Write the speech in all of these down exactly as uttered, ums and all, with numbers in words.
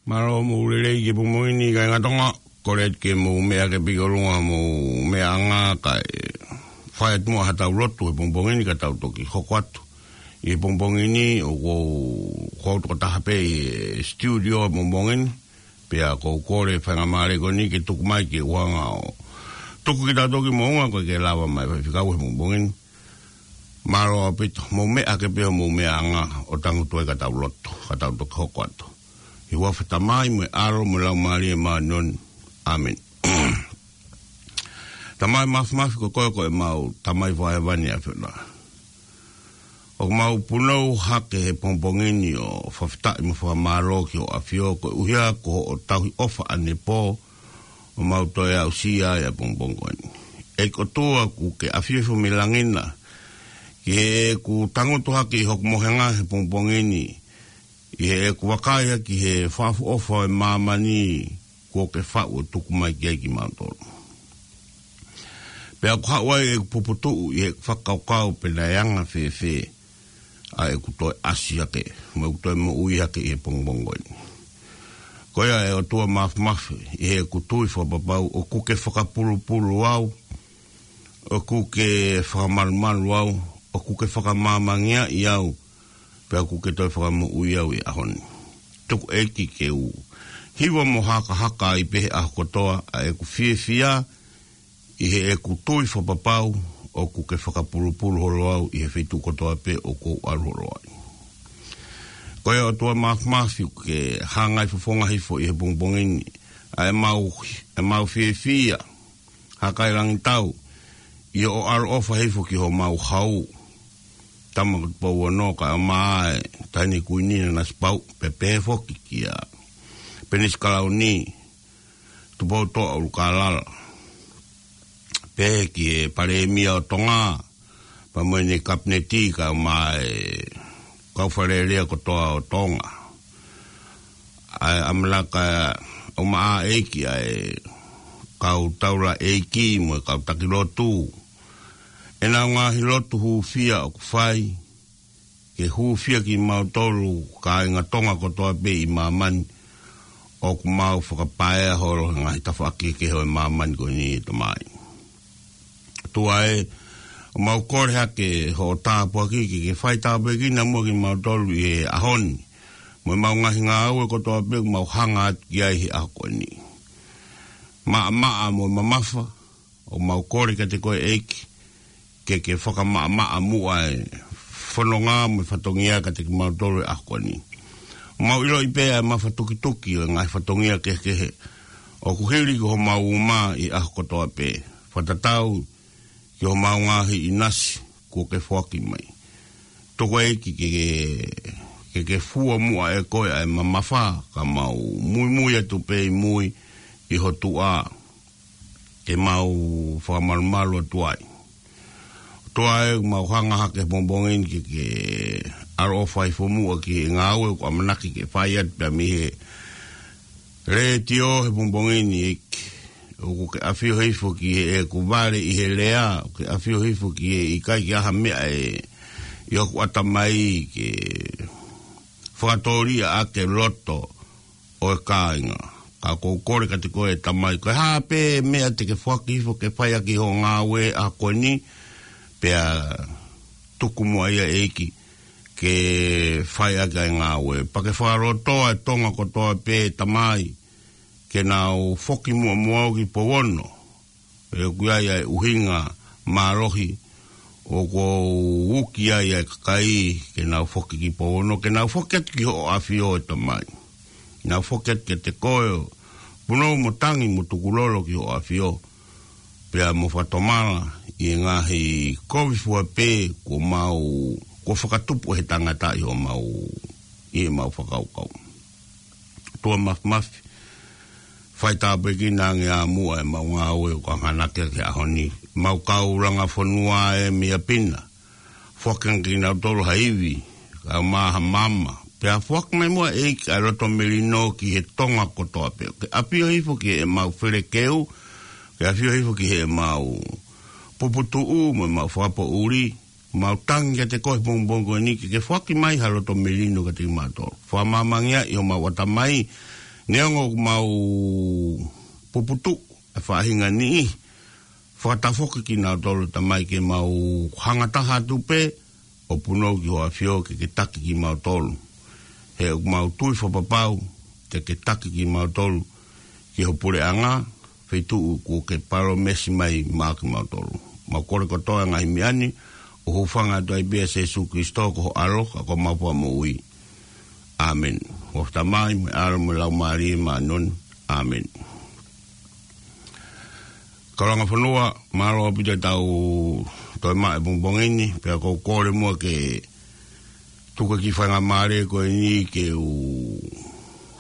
Mālō mo e lelei ki he pongipongi ni kāinga Tonga, kole atu ke mou meʻa hake pē ki ʻolunga mo e meʻa anga kae fai atu muʻa haʻatau lotu he pongipongi ni ka tau toki hoko atu. ʻI he pongipongi ni ʻoku ou, ʻoku ou tokotaha pē ʻi he studio he pongipongi ni, pea ʻoku ou kole faingamālie ko eni ke tuku mai ke u hanga ʻo tuku kitautolu ki muʻa koeʻuhi ke lava mai faifekau he pongipongi ni. Mālō ʻaupito, mou meʻa hake pē homou meʻa anga ʻo tangutu ai ka tau lotu, ka tau toki hoko atu. ʻI he huafa ʻo e Tamai mo e ʻAlo mo e Laumālie Māʻoniʻoni. ʻĀmeni. Tamai Māfimafi, ko koe ko ʻemau Tamai Fakahēvani ʻa e ʻAfiona. ʻOku mau punou hake he pongipongi ni ʻo fakafetaʻi mo fakamālō ki hoʻo ʻAfio koeʻuhi ko hoʻo tauhi ʻofa ʻanepō ʻoku mau toe aʻusia ai ʻa e pongipongi ko eni. ʻEiki ʻOtua, ʻoku ke ʻafio hifo mei langi na, ki heʻeku tangutu hake ʻi hoku mohenga he pongipongi ni, ʻi heʻeku vakai hake ki he fakaʻofoʻofa ʻo e māmani kuo ke faʻu ʻo tuku mai ki ai kimautolu. Pea ʻoku haʻu ai ʻeku puputuʻu ʻi heʻeku fakakaukau pe naʻe anga fēfē ʻa ʻeku toe ʻasi hake, mo ʻeku toe moʻui hake ʻi he pongipongi ko eni. Ko ia ʻe ʻOtua Māfimafi, ʻi heʻeku tui fakapapau ʻoku ke fakapulupulu au, ʻoku ke fakamalumalu au, ʻoku ke fakamāmangeaʻi au, pea ʻoku ke toe fakamoʻui au ʻi he ʻaho ni. Tuku ʻEiki ke u hiva mo hakahaka ai pē he ʻaho kotoa ʻa ʻeku fiefia, ʻi heʻeku tui fakapapau ʻoku ke fakapulupulu holo au ʻi he feituʻu kotoa pē ʻoku ou ʻalu holo ai. Ko ia ʻOtua Māfimafi, ʻoku ke hangai fofonga hifo ʻi he pongipongi ni ʻa ʻemau, ʻemau fiefia, Hakailangitau, ʻi hoʻo ʻaloʻofa hifo ki homau hau, Tama ko Tupou Ono, kae ʻumaʻā e Taʻahine Kuini Nanasipauʻu, pea pehē foki kia Penisi Kalauni, Tupoutoʻa ʻUlukālala, pehē ki he Palēmia ʻo Tonga, pea mo ʻene Kapineti kae ʻumaʻā e kau Fale Alea kotoa ʻo Tonga. ʻA e ʻamanaki ʻoku maʻa ʻEiki ʻa e kau taulaʻeiki mo e kau taki lotu, ʻenau ngaahi lotu hūfia ʻoku fai, ke hūfia kimautolu kāinga Tonga kotoa pē ʻi māmani ʻoku mau fakapaea holo he ngaahi tafaʻaki kehe ʻo e māmani ko eni, ʻe Tamai. ʻOtua ē, ʻoku mau kole hake hoʻo tāpuaki ke ke fai tāpuekina muʻa kimautolu ʻi he ʻaho ni, mo ʻemau ngaahi ngāue kotoa pē ʻoku mau hanga atu ki ai he ʻaho ko eni. Maʻamaʻa mo mamafa, ʻoku mau kole kiate koe ʻEiki, ke ke fakamaʻamaʻa muʻa e fononga mo e fatongia kiate kimautolu he ʻaho ko eni. ʻOku mau ʻiloʻi pē ʻa e mafatukituki ʻo e ngaahi fatongia kehekehe ʻoku hili ki homau uma ʻi he ʻaho kotoa pē, fakatatau ki homau ngaahi ʻinasi kuo ke foaki mai. Tuku ʻEiki ke, ke, ke, ke fua muʻa ʻe koe ʻa e mamafa, ka mau muimui atu pē ʻi mui ʻi ho tuʻa, ke mau fakamalumalu atu ai. ʻOtua ē, ʻoku mau hanga hake he pongipongi ni ke ke ʻaloʻofa hifo muʻa ki he ngāue ʻoku ʻamanaki ke fai atu pea mei he letiō he pongipongi ni, ʻEiki. ʻOku ke ʻafio hifo ki heʻeku vale ʻi he lea, ʻoku ke ʻafio hifo ki he ʻikai ke ʻi ai ha meʻa ʻe ʻi hoku ʻatamai ke fakatōliʻa ʻaki e loto ʻo e kāinga. Ka ʻoku ou kole kiate koe ʻe Tamai, ko e hā pē meʻa te ke foaki hifo ke fai ʻaki hoʻo ngāue he ʻaho ko eni, pea tuku muʻa ia ʻEiki ke fai ʻaki ʻa e ngāue. Pea ke fakalotoa e Tonga kotoa pē Tamai, ke nau foki muʻa mo au ki Pouono. ʻOku ʻi ai ʻa e ʻuhinga mālohi ʻoku ou uki ai ʻa e kakai ke nau foki ki Pouono, ke nau foki atu ki hoʻo ʻAfio ʻe Tamai. Nau foki atu kiate koe ʻo punou mo tangi mo tukulolo ki hoʻo ʻAfio, pea mo fakatomala ʻi he ngaahi kovi fua pē kuo mau, kuo fakatupu ʻe he tangata ʻi homau, ʻi heʻemau fakakaukau. ʻOtua Māfimafi, fai tāpuekina ange ā muʻa ʻemau ngāue ʻoku hanganaki ki he ʻaho ni. Mau kau langa fonua ē mei ʻapi na, foaki ange kinautolu ha ivi, kae ʻumaʻā ha maama. Pea foaki mai muʻa ʻEiki ʻa e loto melino ki he Tonga kotoa pē. Ke ʻafio hifo ki heʻemau felekeu, ke ʻafio hifo ki heʻemau puputuʻu mo ʻemau fakapoʻuli, mau tangi kiate koe he pongipongi ko eni ke ke foaki mai ha loto melino kiate kimautolu. Fakamāmangeaʻi homau ʻatamai, Neongo ʻoku mau puputuʻu e faʻahinga niʻihi, fakatafoki kinautolu Tamai ke mau hanga taha atu pē ʻo punou ki ho ʻAfio ke ke taki kimautolu. He ʻoku mau tui fakapapau te ke taki kimautolu ki ho puleʻanga, feituʻu kuo ke palōmesi mai maʻa kimautolu. Mau kole kotoa e ngaahi meʻa ni ʻo hūfanga atu ai pē ʻia Sēsū Kilisitō ko ho ʻAlo ka ko homau Fakamoʻui. ʻĀmeni. Huafa Tamai mo e ʻAlo mo e Laumālie Māʻoniʻoni. ʻĀmeni. Kau langa fonua, mālō ʻaupito ʻetau toe maʻu e pongipongi ni, pea ʻoku ou kole muʻa ke tuku e kiʻi faingamālie ko eni ke u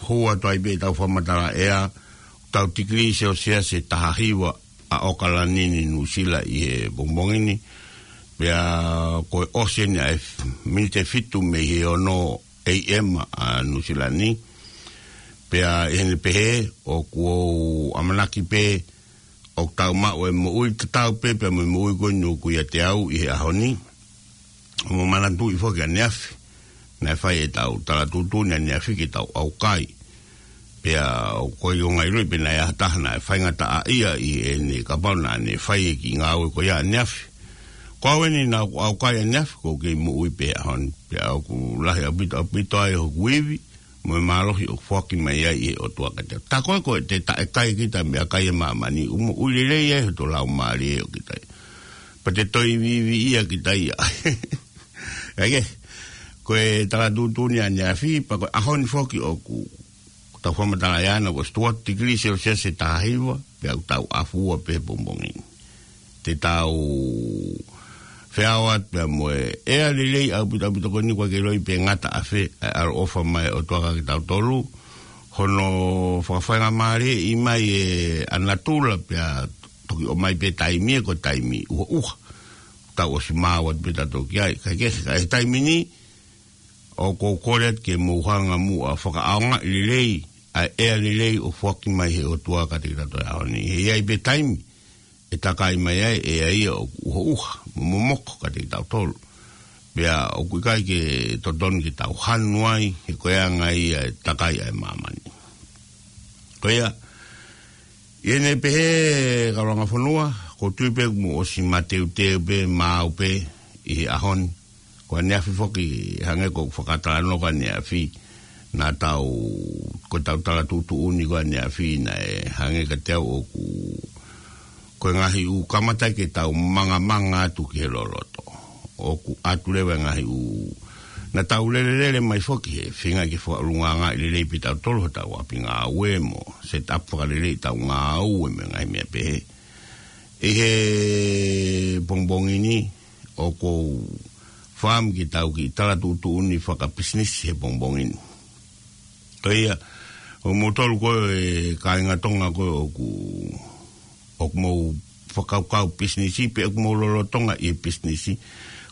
hū atu ai pē ʻetau fakamatala ʻea, tau tikilī Selsiasi ʻe taha hiva ʻa ʻAokalani ni, Nuʻusila, ʻi he pongipongi ni. Pea kuo ʻosi eni ʻa e miniti ʻe fitu mei he ono A M ʻa Nuʻusila ni. Pea ʻi heʻene pehē, ʻoku ou ʻamanaki pē ʻoku tau maʻu e moʻui tatau pē pea mo e moʻui ko eni ʻoku ʻiate au ʻi he ʻaho ni. Mo manatuʻi foki ʻaneafi naʻe fai ʻetau tala tuʻutuʻuni ʻaneafi ke tau ʻaukai. Pea ʻoku ʻikai ke u ngāue ʻilo pe naʻe ʻi ai ha taha naʻe faingataʻaʻia ʻi heʻene, kapau naʻa ne fai e kiʻi ngāue ko ia ʻaneafi. Ko au eni naʻa ku ʻaukai ʻaneafi, ʻoku ou kei moʻui pē he ʻaho ni. Pea ʻoku lahi ʻaupito, ʻaupito ai hoku ivi mo e mālohi ʻoku foaki mai ai ʻe he ʻOtua kiate au. Tā ko ē ko ē te taʻekai kita mei he kai ʻa māmani, ʻoku moʻui lelei ai hoto laumālie ʻo kita ia. Pea te toe iviiviʻia kita ia. ʻAi ke, ko e tala tuʻutuʻuni ʻaneafi, pea ko e ʻaho ni foki ʻoku tau fakamatala ʻea naʻe ʻosi tuʻu atu tikilī Selsiasi ʻe taha hiva, pea ʻoku tau ʻafu ua pē he pongipongi ni. Te tau feʻao atu pea mo e ʻea lelei ʻaupito, ʻaupito ko eni, ʻoku ʻikai ke ʻiloa pe ngata ʻafē ʻa e ʻaloʻofa mai ʻa e ʻOtua kiate kitautolu, hono fakafaingamālieʻi mai ʻa natula pea toki ʻomai pē taimi, ʻa e ko e taimi ʻuha ʻuha. Tau ʻosi maau atu pē tautolu ki ai, kae kehe, ka ʻi he taimi ni, ʻoku ou kole atu ke mou hanga muʻa ʻo fakaʻaongaʻi lelei ʻa e ʻea lelei ʻoku foaki mai ʻe he ʻOtua kiate kitautolu he ʻaho ni. He ʻe ʻi ai pē taimi ʻe takai mai ai e ʻea ia ʻoku ʻuha ʻuha mo momoko kiate kitautolu. Pea ʻoku ʻikai ke totonu ke tau hanu ai, he ko e anga ia e takai ʻa e māmani. Ko ia, ʻi heʻene pehē, kau langa fonua, ʻoku ou tui pē ʻoku mou ʻosi mateuteu pē, maau pē ʻi he ʻaho ni. Ko ʻaneafi foki, hangē ko ʻeku fakatalanoa ko ʻaneafi, naʻa tau, ko ʻetau tala tuʻutuʻuni ko ʻaneafi, naʻe hangē kiate au ʻoku, ko e ngaahi ʻū kamata ke tau mangamanga atu ki he loloto. ʻOku ʻatu leva e ngaahi ʻū, naʻa tau lelelele mai foki he feinga ke fakaʻulungaanga lelei pē tautolu hotau ʻapi ngāue mo set up fakalelei ʻetau ngāue mo e ngaahi meʻa pehē. ʻI he pongipongi ni, ʻoku ou fakaʻamu ke tau kiʻi tala tuʻutuʻuni fakapisinisi he pongipongi ni. Ko ia, ʻo moutolu ko e kāinga Tonga ko ē ʻoku, ʻoku mou fakakaukau pisinisi, pe ʻoku mou lolotonga ʻi he pisinisi,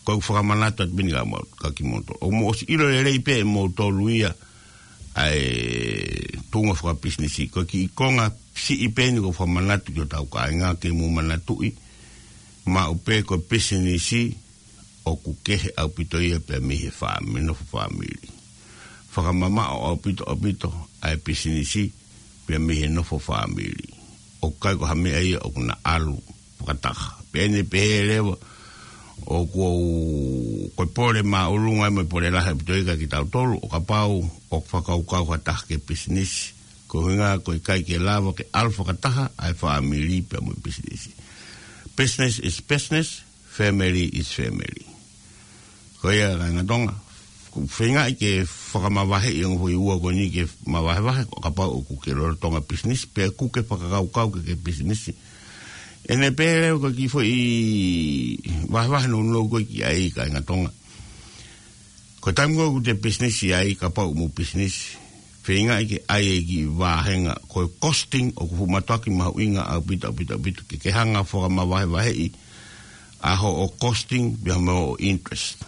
ko ʻeku fakamanatu atu pē eni kia mou-, kia kimoutolu. ʻOku mou ʻosi ʻilo lelei pē ʻe moutolu ia ʻa e tuʻunga fakapisinisi. Ko e kiʻi konga siʻi pē eni ʻoku ou fakamanatu ki hotau kāinga ke mou manatuʻi, maʻu pē ko e pisinisi, ʻoku kehe ʻaupito ia pea mei he fāmi-, nofo fāmili. Fakamamaʻo ʻaupito, ʻaupito ʻa e pisinisi pea mei he nofo fāmili. ʻOku ʻikai ko ha meʻa ia ʻoku na ʻalu fakataha. Pea ʻi heʻene pehē leva, ʻoku ou, ko e pole māʻolunga mo e pole lahi ʻaupito ia kia kitautolu, ʻo kapau ʻoku fakakaukau ha taha ke pisinisi. Ko e ʻuhinga ko e ʻikai ke lava ke ʻalu fakataha ʻa e fāmili pea mo e pisinisi. Business is business, family is family. Ko ia kāinga Tonga, ʻoku ou feingaʻi ke fakamavaheʻi ʻa e ongo foʻi ua ko eni ke mavahevahe, ʻo kapau ʻoku ke lolotonga pisinisi, pe ʻoku ke fakakaukau ke ke pisinisi. ʻI heʻene pehē leva ko e kiʻi foʻi vahevahe nounou ko ē ki ai kāinga Tonga. Ko e taimi ko ē ʻoku te pisinisi ai, kapau ʻoku mou pisinisi, feingaʻi ke ʻai e kiʻi vāhenga, ko e costing ʻoku fuʻu mātuʻaki mahuʻinga ʻaupito, ʻaupito, ʻaupito, ke ke hanga ʻo fakamavahevaheʻi ʻa hoʻo costing pea mo hoʻo interest.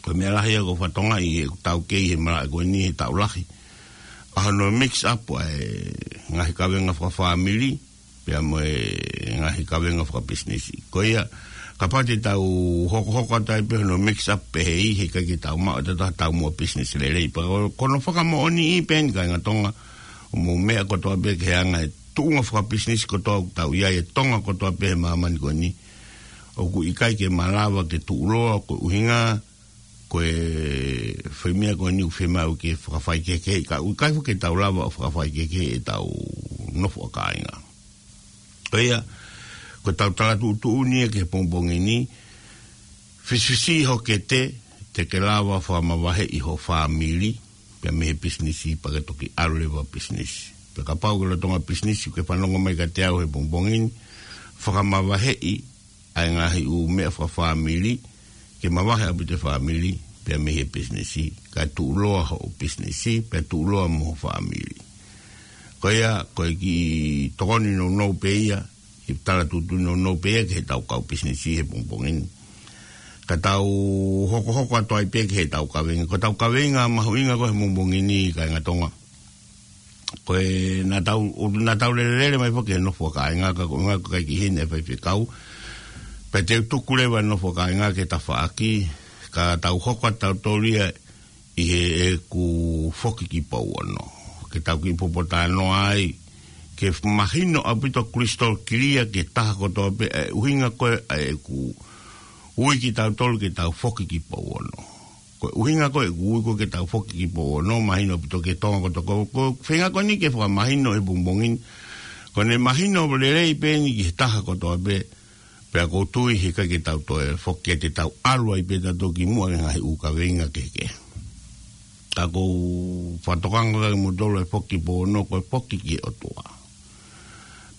Ko e meʻa lahi ia ʻoku ou fakatokangaʻi ʻi heʻeku taukei he malaʻe ko eni he taʻu lahi, ʻa hono mix up ʻa e ngaahi kavenga fakafāmili pea mo e ngaahi kavenga fakapisinisi. Ko ia, kapau te tau hokohoko atu ai pē hono mix up pehē, he ʻikai ke tau maʻu ʻe tautolu ha taumuʻa pisinisi lelei. Pea ko, ko hono fakamoʻoniʻi pē eni kāinga Tonga, ʻo mou meʻa kotoa pē ki he anga e tuʻunga fakapisinisi kotoa ʻoku tau ʻi ai, e Tonga kotoa pē he māmani ko eni. ʻOku ʻikai ke malava ke tuʻuloa, ko e ʻuhinga ko e foʻi meʻa ko eni ʻoku fiemaʻu ke fakafaikehekeheʻi, ka ʻoku ʻikai foki ke tau lava ʻo fakafaikehekeheʻi ʻetau nofo ʻa kāinga. Ko ia, ko ʻetau tala tuʻutuʻuni ia ki he pongipongi ni, fisifisiʻi ho kete, te ke lava fakamavaheʻi ho fāmili, pea mei he pisinisi pea ke toki ʻalu leva pisinisi. Pea kapau ʻoku ke lolotonga pisinisi, ʻoku ke fanongo mai kiate au he pongipongi ni, fakamavaheʻi ʻa e ngaahi ʻū meʻa fakafāmili, ke mavahe ʻaupito e fāmili, pea mei he pisinisi, kae tuʻuloa hoʻo pisinisi, pea tuʻuloa mo ho fāmili. Ko ia, ko e kiʻi tokoni nounou pē ia, kiʻi tala tuʻutuʻuni nounou pē ia ki heʻetau kau pisinisi he pongipongi ni. Ka tau hokohoko atu ai pē ki heʻetau kaveinga. Ko ʻetau kaveinga mahuʻinga ko ē he pongipongi ni, kāinga Tonga, ko e naʻa tau, ʻo naʻa tau lelelele mai foki he nofo ʻa kāinga, ka ko e ʻuhinga ko e ʻikai ke ʻi heni e faifekau. Pea te u tuku leva e nofo ʻa kāinga ki he tafaʻaki, ka tau hoko atu tautolu ia ʻi heʻeku foki ki Pouono. Ke tau kiʻi popotalanoa ai, ke mahino ʻaupito crystal clear ki he taha kotoa pē, ʻa e ʻuhinga ko ē ʻa ʻeku ui kitautolu ke tau foki ki Pouono. Ko e ʻuhinga ko ē ʻeku ui ko ē ke tau foki ki Pouono, mahino ʻaupito ki he Tonga kotoa. Ko, ko e feinga ko eni ke fakamahino he pongipongi ni, ko ʻene mahino lelei pē eni ki he taha kotoa pē, pea ʻoku ou tui he ʻikai ke tau toe foki, te tau ʻalu ai pē tautolu ki muʻa ki he ngaahi ʻū kaveinga kehekehe. Ka ʻoku ou fakatokanga kia moutolu e foki ki Pouono, ko e foki ki he ʻOtua.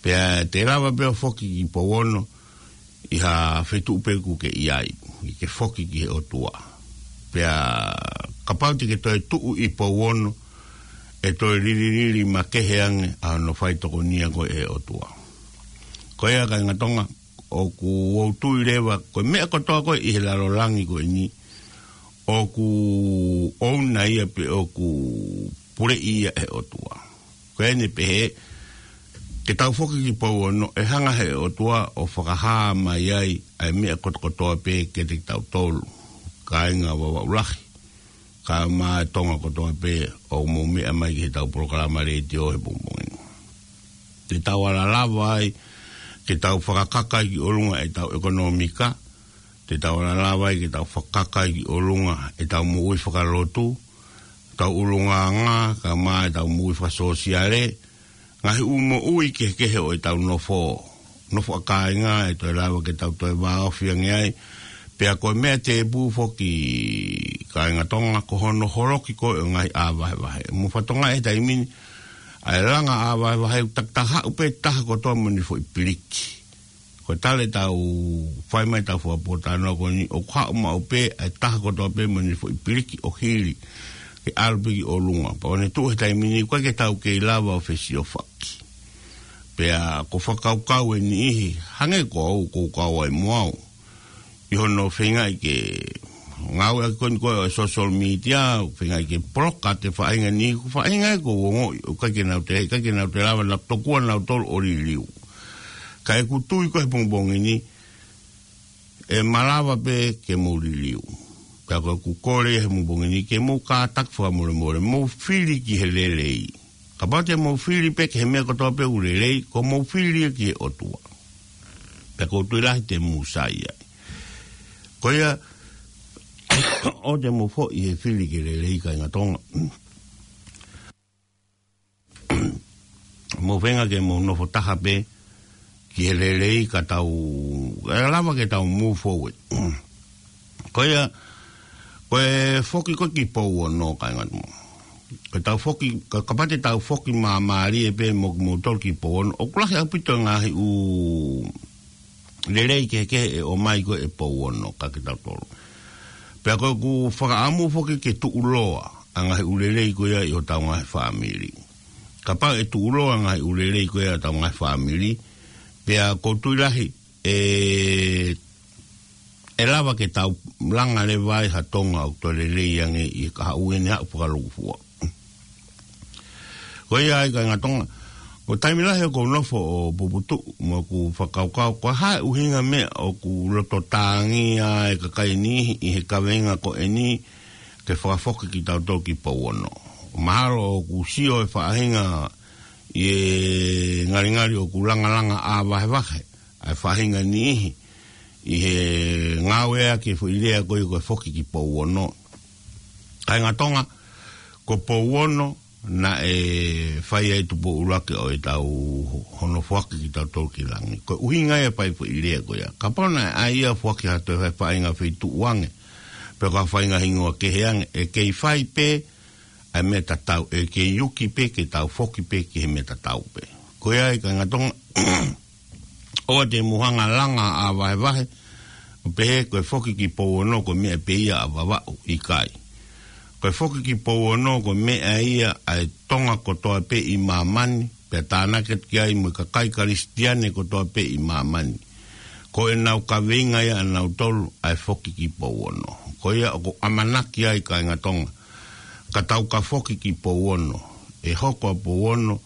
Pea te lava pē ʻo foki ki Pouono, ʻi ha feituʻu pē ʻoku ke ʻi ai, ʻi ke foki ki he ʻOtua. Pea kapau te ke toe tuʻu ʻi Pouono, ʻe toe lililili makehe ange ʻa hono fai tokonia ko ē ʻe he ʻOtua. Ko ia, kāinga Tonga, ʻoku ou tui leva, ko e meʻa kotoa ko ē ʻi he lalo langi ko eni, ʻoku ʻouna ia pea ʻoku puleʻi ia ʻe he ʻOtua. Ko ʻene pehē, ke tau foki ki Pouono, ʻe hanga ʻe he ʻOtua ʻo fakahā mai ai ʻa e meʻa kotokotoa pē kiate kitautolu, kāinga Vavaʻu Lahi, kae ʻumaʻā e Tonga kotoa pē ʻoku mou meʻa mai ki heʻetau polokalama letiō he pongipongi ni. Te tau ala lava ai ke tau fakakaka ki ʻolunga ʻetau ʻekonōmika, te tau ala lava ai ke tau fakakaka ki ʻolunga ʻetau moʻui fakalotu, ʻetau ʻulungaanga, kae ʻumaʻā ʻetau moʻui fakasōsiale, ngaahi ʻū moʻui kehekehe ʻo ʻetau nofo, nofo ʻa kāinga, ʻe toe lava ke tau toe vāofi ange ai. Pea ko e meʻa tēpū foki, kāinga Tonga, ko hono holoki ko ē ʻo e ngaahi ʻā vahevahe. Mou fakatokangaʻi he taimi ni, ʻa e langa ʻā vahevahe, ʻoku takitaha haʻu pē taha kotoa mo ʻene foʻi piliki. Ko e talu ʻetau fai mai ʻetau fakapōtalanoa ko eni, ʻoku haʻu maʻu pē ʻa e taha kotoa pē mo ʻene foʻi piliki ʻo hili, ke ʻalu pē ki ʻolunga. Pea ʻoku ne tuʻu he taimi ni, ʻoku ʻikai ke tau kei lava ʻo fesiofaki. Pea ʻoku ou fakakaukau e niʻihi, hangē ko au, ʻoku ou kau ai mo au, ʻi hono feingaʻi ke ngāueʻaki ko eni ko ē ʻo e social media, feingaʻi ke poloka atu e faʻahinga ni, ko e faʻahinga ia ʻoku ou ongoʻi ʻoku ʻikai ke nau toe, ʻikai ke nau toe lava, nau tokua nautolu ʻo liliu. Ka ʻeku tui ko ē he pongipongi ni, ʻe malava pē ke mou liliu. Pea ko ʻeku kole he pongipongi ni, ke mou kātaki fakamolemole, mou fili ki he lelei. Kapau te mou fili pē ki he meʻa kotoa pē ʻoku lelei, ko hoʻomou fili ia ki he ʻOtua. Pea ʻoku ou tui lahi te mou sai ai. Ko ia, ʻoua te mou foʻi he fili ki he lelei, kāinga Tonga. Mou feinga ke mou nofo taha pē ki he lelei, ka tau, ʻe lava ke tau move forward. Ko ia, ko e foki ko ē ki Pouono, kāinga Tonga. Ko ʻetau foki, ka, kapau te tau foki māmālie pē mo, moutolu ki Pouono, ʻoku lahi ʻaupito e ngaahi ʻū lelei kehekehe ʻe ʻomai ko ē ʻe Pouono kiate kitautolu. Pea ko ʻeku fakaʻamu foki ke tuʻuloa ʻa e ngaahi ʻū lelei ko ia ʻi hotau ngaahi fāmili. Kapau ʻe tuʻuloa e ngaahi ʻū lelei ko ia ʻi hotau ngaahi fāmili, pea ʻoku ou tui lahi ʻe, ʻe lava ke tau langa leva ai ha Tonga ʻoku toe lelei ange ʻi he kahaʻu ʻene haʻu fakalūkufua. Ko ia ai, kāinga Tonga, ko e taimi lahi ʻoku ou nofo ʻo puputuʻu mo ʻeku fakakaukau, ko e hā e ʻuhinga meʻa ʻoku loto tāngia e kakai ni ʻi he kaveinga ko eni ke fakafoki kitautolu ki Pouono. Mahalo ʻoku sio e faʻahinga ʻi he ngalingali ʻoku langalanga ʻā vahevahe ʻa e faʻahinga niʻihi ʻi he ngāueʻaki e foʻi lea ko ia ko e foki ki Pouono. Kāinga Tonga, ko Pouono naʻe fai ai e tupu ʻuluaki ʻo ʻetau hono foaki kitautolu ki langi. Ko e ʻuhinga ia e fai e foʻi lea ko ia. Kapau naʻe ʻai ia ʻo foaki ha toe faʻahinga feituʻu ange, pe ko ha faʻahinga hingoa kehe ange, ʻe kei fai pē ʻa e meʻa tatau, ʻe kei uki pē ke tau foki pē ki he meʻa tatau pē. Ko ia ai, kāinga Tonga, ʻoua te mou hanga ʻo langa ʻā vahevahe ʻo pehē ko e foki ki Pouono ko e meʻa pē ia ʻa Vavaʻu, ʻikai. Ko e foki ki Pouono ko e meʻa ia ʻa e Tonga kotoa pē ʻi māmani, pea tānaki atu ki ai mo e kakai Kalisitiane kotoa pē ʻi māmani. Ko ʻenau kaveinga ia ʻanautolu ʻa e foki ki Pouono. Ko ia ʻoku ou ʻamanaki ai, kāinga Tonga, ka tau ka foki ki Pouono, ʻe hoko ʻa Pouono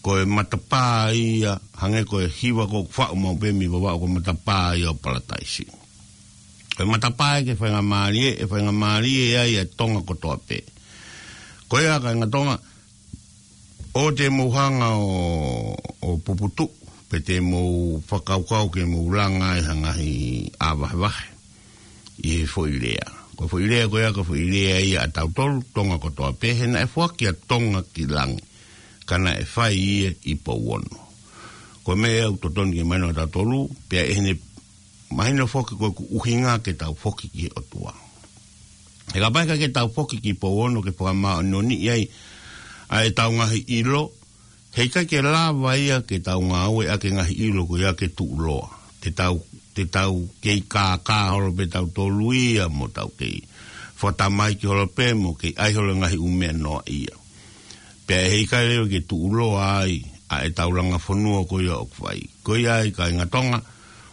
ko e matapā ia, hangē ko e hiva ko ē ʻoku faʻu maʻu pē mei Vavaʻu, ko e matapā ia ʻo Palataisi. Ko e matapā ia ke faingamālie, ʻe faingamālie ai ʻa e Tonga kotoa pē. Ko ia, kāinga Tonga, ʻoua te mou hanga ʻo, ʻo puputuʻu, pe te mou fakakaukau ke mou langa ai ha ngaahi ʻā vahevahe ʻi he foʻi lea. Ko e foʻi lea ko ia, ko e foʻi lea ia ʻatautolu Tonga kotoa pē, he naʻe foaki ʻa Tonga ki langi, ka naʻe fai ia ʻi Pouono. Ko e meʻa ia ʻoku totonu ke mahino ʻatautolu, pea ʻi heʻene mahino foki ko ʻeku ʻuhinga ke tau foki ki he ʻOtua. He kapau ʻe ʻikai ke tau foki ki Pouono ke fakamāʻoniʻoniʻi ai ʻa ʻetau ngaahi ʻilo, heʻikai ke lava ia ke tau ngāueʻaki e ngaahi ʻilo ko ia ke tuʻuloa. Te tau, te tau kei kākā holo pē tautolu ia mo tau kei fakatamaiki holo pē mo kei ʻai holo e ngaahi ʻū meʻa noaʻia. Pea ʻe ʻikai leva ke tuʻuloa ai ʻa ʻetau langa fonua ko ia ʻoku fai. Ko ia ai, kāinga Tonga,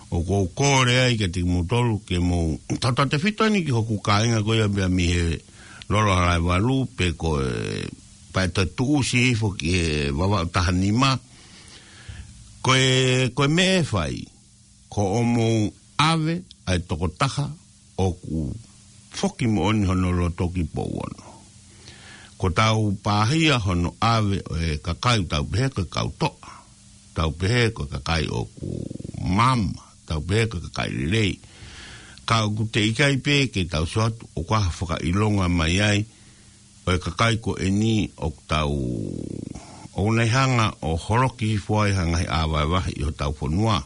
ʻoku ou kole ai kiate kimoutolu ke mou tautautefito eni ki hoku kāinga ko ia pea mei he Lolo Halaevalu, pe ko e Pae Toe Tuʻusi hifo ki he Vavaʻu taha nima. Ko e, ko e meʻa ʻe fai, ko hoʻomou ʻave ʻa e tokotaha ʻoku foki moʻoni hono loto ki Pouono. Ko ʻetau pāhia hono ʻave ʻo e kakai, tau pehē ko e kau toʻa, tau pehē ko e kakai ʻoku maama, tau pehē ko e kakai lelei. Ka ʻoku teʻeki ai pē ke tau sio atu ʻoku ʻi ai ha fakaʻilonga mai ai ʻo e kakai ko eni ʻoku tau, ʻoku nau hanga ʻo holoki hifo ai ha ngaahi ʻā vahevahe ʻi hotau fonua.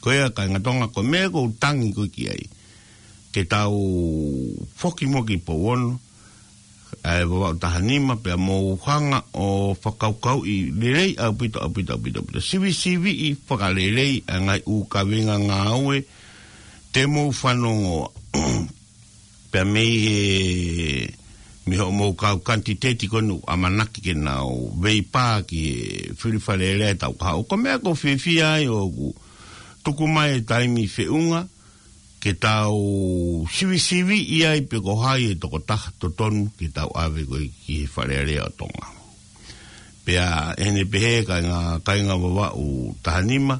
Ko ia, kāinga Tonga, ko e meʻa ʻoku ou tangi ko ē ki ai, ke tau foki muʻa ki Pouono, ʻa e Vavaʻu taha nima, pea mou hanga ʻo fakakaukauʻi lelei ʻaupito, ʻaupito, ʻaupito, ʻaupito. Sivisiviʻi fakalelei ʻa e ngaahi ʻū kaveinga ngāue te mou fanongoa. Pea mei he, mei hoʻomou kau kanititeiti ko eni ʻoku ʻamanaki ke nau veipā ki he fili Fale Alea ʻi he taʻu kahaʻu. Ko e meʻa ʻoku ou fiefia ai ʻoku tuku mai e taimi feʻunga ke tau sivisiviʻi ai pe ko hai e tokotaha totonu ke tau ʻave ko ē ki he Fale Alea ʻo Tonga. Pea ʻi heʻene pehē, kāinga, kāinga Vavaʻu taha nima,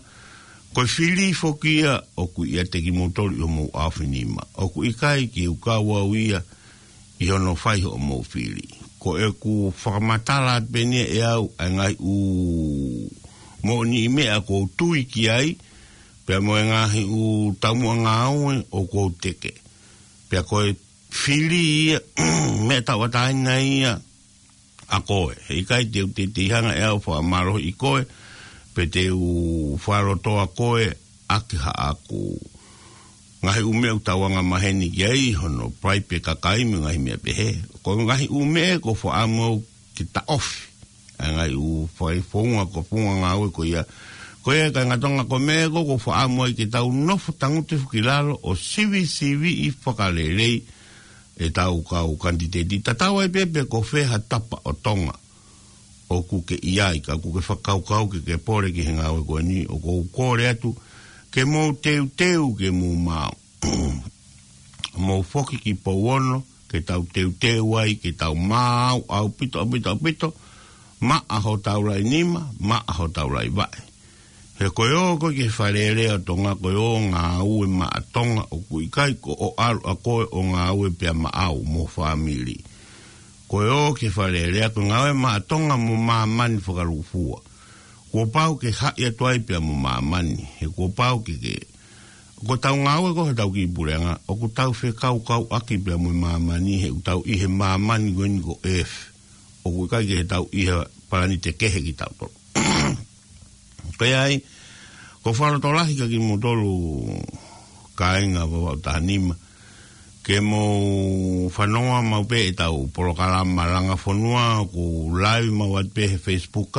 ko e fili foki ia ʻoku ʻiate kimoutolu ʻi homou ʻaofinima. ʻOku ʻikai ke u kau au ia ʻi hono fai hoʻomou fili. Ko ʻeku fakamatala atu pē eni ʻe au ʻa e ngaahi ʻū moʻoniʻi meʻa ʻoku ou tui ki ai, pea mo e ngaahi ʻū taumuʻa ngāue ʻoku ou teke. Pea ko e fili ia, meʻa tauʻatāina ia ʻa koe. Heʻikai te u teitei hanga ʻe au ʻo fakamālohiʻi koe, pe te u fakalotoa koe ʻaki haʻaku ngaahi ʻū meʻa ʻoku tau angamaheni ki ai, hono paipe kakai mo e ngaahi meʻa pehē. Ko e ngaahi ʻū meʻa ʻoku ou fakaʻamu au ke taʻofi ʻa e ngaahi ʻū fai founga, ko e founga ngāue ko ia. Ko ia, kāinga Tonga, ko e meʻa ʻoku ou fakaʻamu ai ke tau nofo tangutu hifo ki lalo ʻo sivisiviʻi fakalelei ʻetau kau kanititeiti. Tatau ai pē pe ko fē ha tapa ʻo Tonga ʻoku ke ʻi ai, ka ʻoku ke fakakaukau ke ke pole ki he ngāue ko eni, ʻoku ou kole atu ke mou teuteu ke mou maau. Mou foki ki Pouono, ke tau teuteu ai, ke tau maau ʻaupito, ʻaupito, ʻaupito, maʻa hotau laʻi nima, maʻa hotau laʻi vaʻe. He ko e ō ko ē ki he Fale Alea ʻo Tonga, ko e ō ngāue maʻa Tonga, ʻoku ʻikai ko hoʻo ʻalu ʻa koe ʻo ngāue pea maʻau mo e fāmili. Ko e ō ki he Fale Alea ko e ngāue maʻa Tonga mo māmani fakalūkufua. Kuo pau ke haʻi atu ai pea mo māmani, he kuo pau ke ke. Ko ʻetau ngāue ko ē ʻetau kiʻi puleʻanga, ʻoku tau fekaukauʻaki pea mo māmani, he ʻoku tau ʻi he māmani ko eni ko Earth. ʻOku ʻikai ke tau ʻi he palanite kehe kitautolu. Ko ia ai, ʻoku ou fakalotolahi kia kimoutolu kāinga Vavaʻu taha nima. Ke mou fanongoa maʻu pē ʻetau polokalama Langa Fonua, ʻoku live maʻu atu pē he Facebook,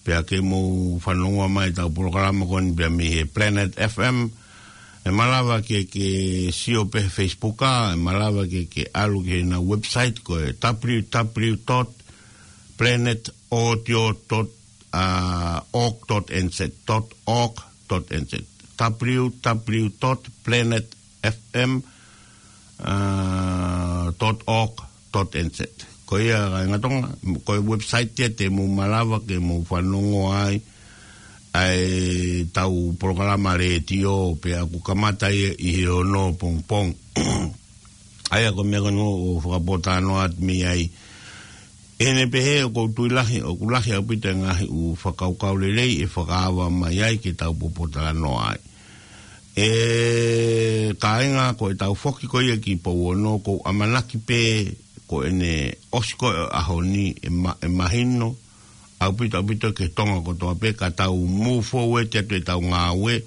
pea ke mou fanongoa mai ʻetau polokalama ko eni pea mei he Planet F M. ʻE malava ke ke sio pē he Facebook, ʻe malava ke ke ʻalu ki heʻenau website ko e W W W dot planet audio dot org dot N Z, dot org dot N Z, W W W dot planet F M dot org dot N Z. Ko ia kāinga Tonga, ko e website ia te mou malava ke mou fanongoa ai ʻa ʻetau polokalama letiō pea ʻoku kamata ia ʻi he ono pongipongi. ʻA ia ko e meʻa ko eni ʻoku ou fakapōtalanoa atu mei ai. ʻI heʻene pehē ʻoku ou tui lahi, ʻoku lahi ʻaupito e ngaahi ʻū fakakaukau lelei ʻe fakaava mai ai ke tau pōtalanoa ai. ʻE kāinga, ko ʻetau foki ko ia ki Pouono, ʻoku ou ʻamanaki pē ko ʻene ʻosi ko ē ʻaho ni ʻe ma-, ʻe mahino ʻaupito, ʻaupito ki Tonga kotoa pē ka tau move forward atu ʻetau ngāue,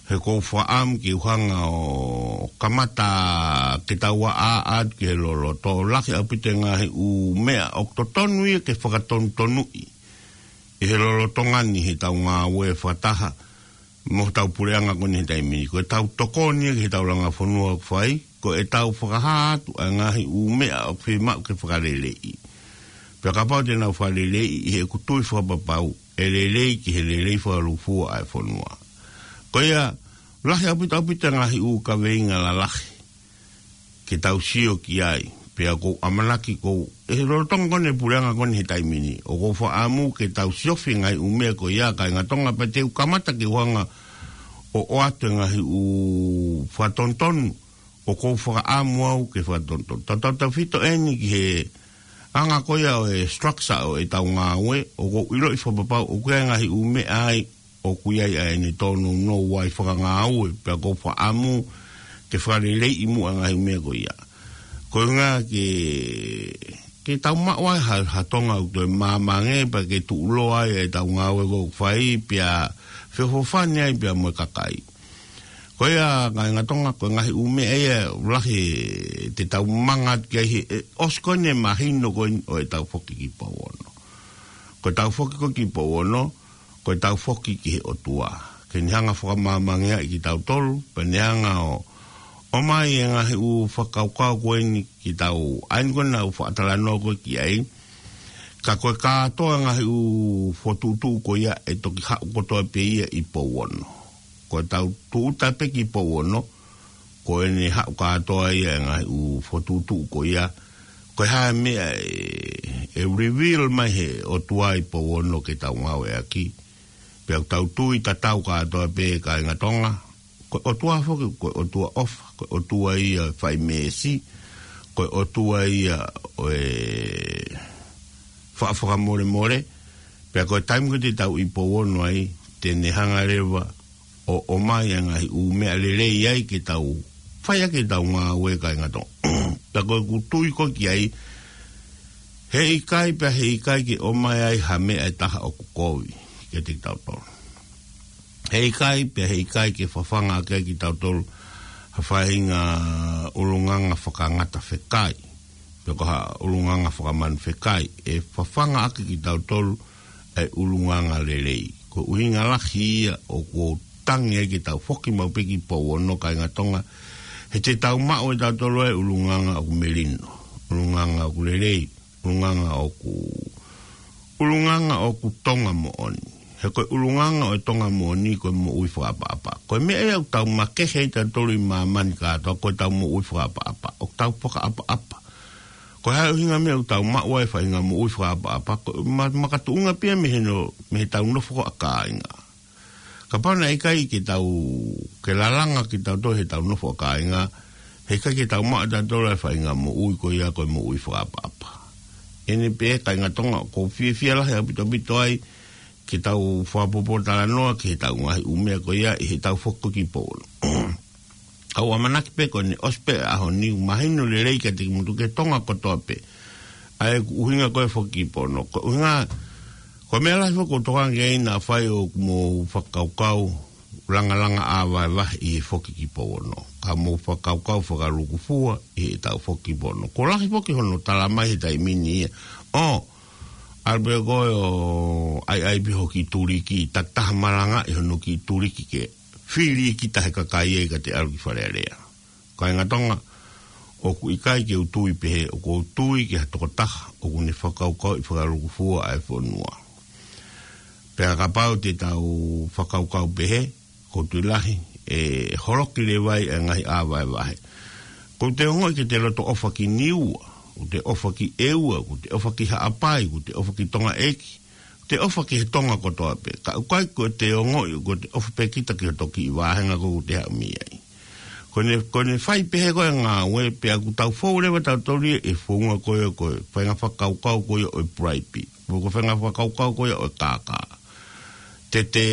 he ʻoku ou fakaʻamu ke u hanga ʻo kamata ke tau ʻā atu ki he loloto. Lahi ʻaupito e ngaahi ʻū meʻa ʻoku totonu ia ke fakatonutonuʻi ʻi he lolotonga ni heʻetau ngāue fakataha mo hotau puleʻanga ko eni he taimi ni. Ko ʻetau tokoni ia ki heʻetau Langa Fonua ʻoku fai, ko ʻetau fakahā atu ʻa e ngaahi ʻū meʻa ʻoku fiemaʻu ke fakaleleiʻi. Pea kapau te nau fakaleleiʻi, ʻi heʻeku tui fakapapau, ʻe lelei ki he lelei fakalūkufua ʻa e fonua. Ko ia, lahi ʻaupito, ʻaupito e ngaahi ʻū kaveinga lalahi ke tau sio ki ai, pea ʻoku ou ʻamanaki ʻoku, ʻi he lolotonga ko eni e puleʻanga ko eni he taimi ni, ʻoku ou fakaʻamu ke tau siofi e ngaahi ʻū meʻa ko ia kāinga Tonga, pea te u kamata ke u hanga ʻo ʻoatu e ngaahi ʻū fakatonutonu ʻoku ou fakaʻamu au ke fakatonutonu. Tautautefito eni ki he anga ko ia ʻo e structure ʻo ʻetau ngāue, ʻoku ou ʻiloʻi fakapapau ʻoku ʻi ai e ngaahi ʻū meʻa ai ʻoku ʻi ai ʻa ʻene tōnounou ai fakangāue, pea ʻoku ou fakaʻamu ke fakaleleiʻi muʻa e ngaahi ʻū meʻa ko ia. Ko e ʻuhinga ke, ke tau maʻu ai ha, ha Tonga ʻoku toe māmā ange, pea ke tuʻuloa ai ʻetau ngāue ʻoku fai, pea feʻofoʻofani ai pea mo e kakai. Ko ia kāinga Tonga, ko e ngaahi ʻū meʻa ia lahi te tau manga atu ki ai he, ʻe ʻosi ko eni e mahino ko eni ʻo ʻetau foki ki Pouono. Ko ʻetau foki ko ē ki Pouono, ko ʻetau foki ki he ʻOtua ke ne hanga ʻo fakamāmāngiaʻi kitautolu, pea ne hanga ʻo, ʻomai e ngaahi ʻū fakakaukau ko eni ki tau, ʻa eni ko eni naʻa ku fakatalanoa ko ē ki ai. Ka ko e kātoa e ngaahi ʻū fokotuʻutuʻu ko ia ʻe toki haʻu kotoa pē ia ʻi Pouono. Ko ʻetau tūʻuta pē ki Pouono, ko ʻene haʻu kātoa ia e ngaahi ʻū fokotuʻutuʻu ko ia. Ko e hā e meʻa ʻe, ʻe reveal mai he ʻOtua ʻi Pouono ke tau ngāueʻaki. Pea ʻoku tau tui tatau kātoa pē kāinga Tonga, ko e ʻOtua foki, ko e ʻOtua ʻofa, ko e ʻOtua ia fai meesi, ko e ʻOtua ia ʻo e faʻa fakamolemole, pea ko e taimi ko ē te tau ʻi Pouono ai, te ne hanga leva ʻo, ʻomai e ngaahi ʻū meʻa lelei ai ke tau fai ʻaki ʻetau ngāue kāinga Tonga. Pea ko ʻeku tui ko ē ki ai, heʻikai pea heʻikai ke ʻomai ai ha meʻa ʻe taha ʻoku kovi kiate kitautolu. Heʻikai pea heʻikai ke fafanga ʻaki ai kitautolu ha faʻahinga ʻulungaanga fakangata fekai, pe ko ha ʻulungaanga fakamanu fekai, ʻe fafanga ʻaki kitautolu e ʻulungaanga lelei. Ko e ʻuhinga lahi ia ʻoku ou tangi ai ke tau foki maʻu pē ki Pouono kāinga Tonga, he te tau maʻu ʻe tautolu e ʻulungaanga ʻoku melino, ʻulungaanga ʻoku lelei, ʻulungaanga ʻoku, ʻulungaanga ʻoku Tonga moʻoni. He ko e ʻulungaanga ʻo e Tonga moʻoni ko e moʻui fakaʻapaʻapa. Ko e meʻa ia ʻoku tau makehe ai tautolu ʻi māmani kātoa, ko ʻetau moʻui fakaʻapaʻapa. ʻOku tau fakaʻapaʻapa. Ko e hā e ʻuhinga e meʻa ʻoku tau maʻu ai e faʻahinga moʻui fakaʻapaʻapa? Ko e ma-, makatuʻunga pē ia mei he no-, mei heʻetau nofo ko ē ʻa kāinga. Kapau naʻe ʻikai ke tau, ke lalanga kitautolu heʻetau nofo ʻa kāinga, heʻikai ke tau maʻu ʻe tautolu e faʻahinga moʻui ko ia ko e moʻui fakaʻapaʻapa. ʻEne pē kāinga Tonga, ʻoku ou fiefia lahi ʻaupito ʻaupito ai, ke tau fakapōpōtalanoa ki heʻetau ngaahi ʻū meʻa ko ia ʻi heʻetau foki ki Pouono. ʻOku ou ʻamanaki pē ko ʻene ʻosi pē ʻaho ni ʻoku mahino lelei kiate kimoutolu ki he Tonga kotoa pē ʻa ʻeku ʻuhinga ko e foki ki Pouono. Ko e ʻuhinga, ko e meʻa lahi foki ʻoku ou tokanga ki ai naʻa fai ʻoku mou fakakaukau langalanga ʻāvahevahe ʻi he foki ki Pouono, ka mou fakakaukau fakalūkufua ʻi heʻetau foki ki Pouono. Kuo lahi foki hono tala mai he taimi ni ia, ʻo ʻalu pē koe ʻo ʻaiʻai pē ho kiʻi tuliki, takitaha malangaʻi hono kiʻi tuliki ke fili kita he kakai ia ka te ʻalu ki Fale Alea. Kāinga Tonga, ʻoku ʻikai ke u tui pehē, ʻoku ou tui ki ha tokotaha ʻoku ne fakakaukauʻi fakalūkufua ʻa e fonua. Pea kapau te tau fakakaukau pehē, ʻoku ou tui lahi ʻe holoki leva ai ʻa e ngaahi ʻāvahevahe. Kuo te ongoʻi ke te loto ʻofa ki Niua, kuo te ʻofa ki ʻEua, kuo te ʻofa ki Haʻapai, kuo te ʻofa ki Tongaʻeiki, te ʻofa ki he Tonga kotoa pē. Ka ʻoku ʻikai ko ʻete ongoʻi, ko ʻete ʻofa pē kita ki hoto kiʻi vāhenga ko ē ʻoku te haʻu mei ai. Ko ʻene, ko ʻene fai pehē ko ē ngāue, pea ʻoku tau fou leva tautolu ia ʻi he founga ko ē, ko e faʻahinga fakakaukau ko ia ʻo e bribe. Ko e faʻahinga fakakaukau ko ia ʻo e kākā. Te te,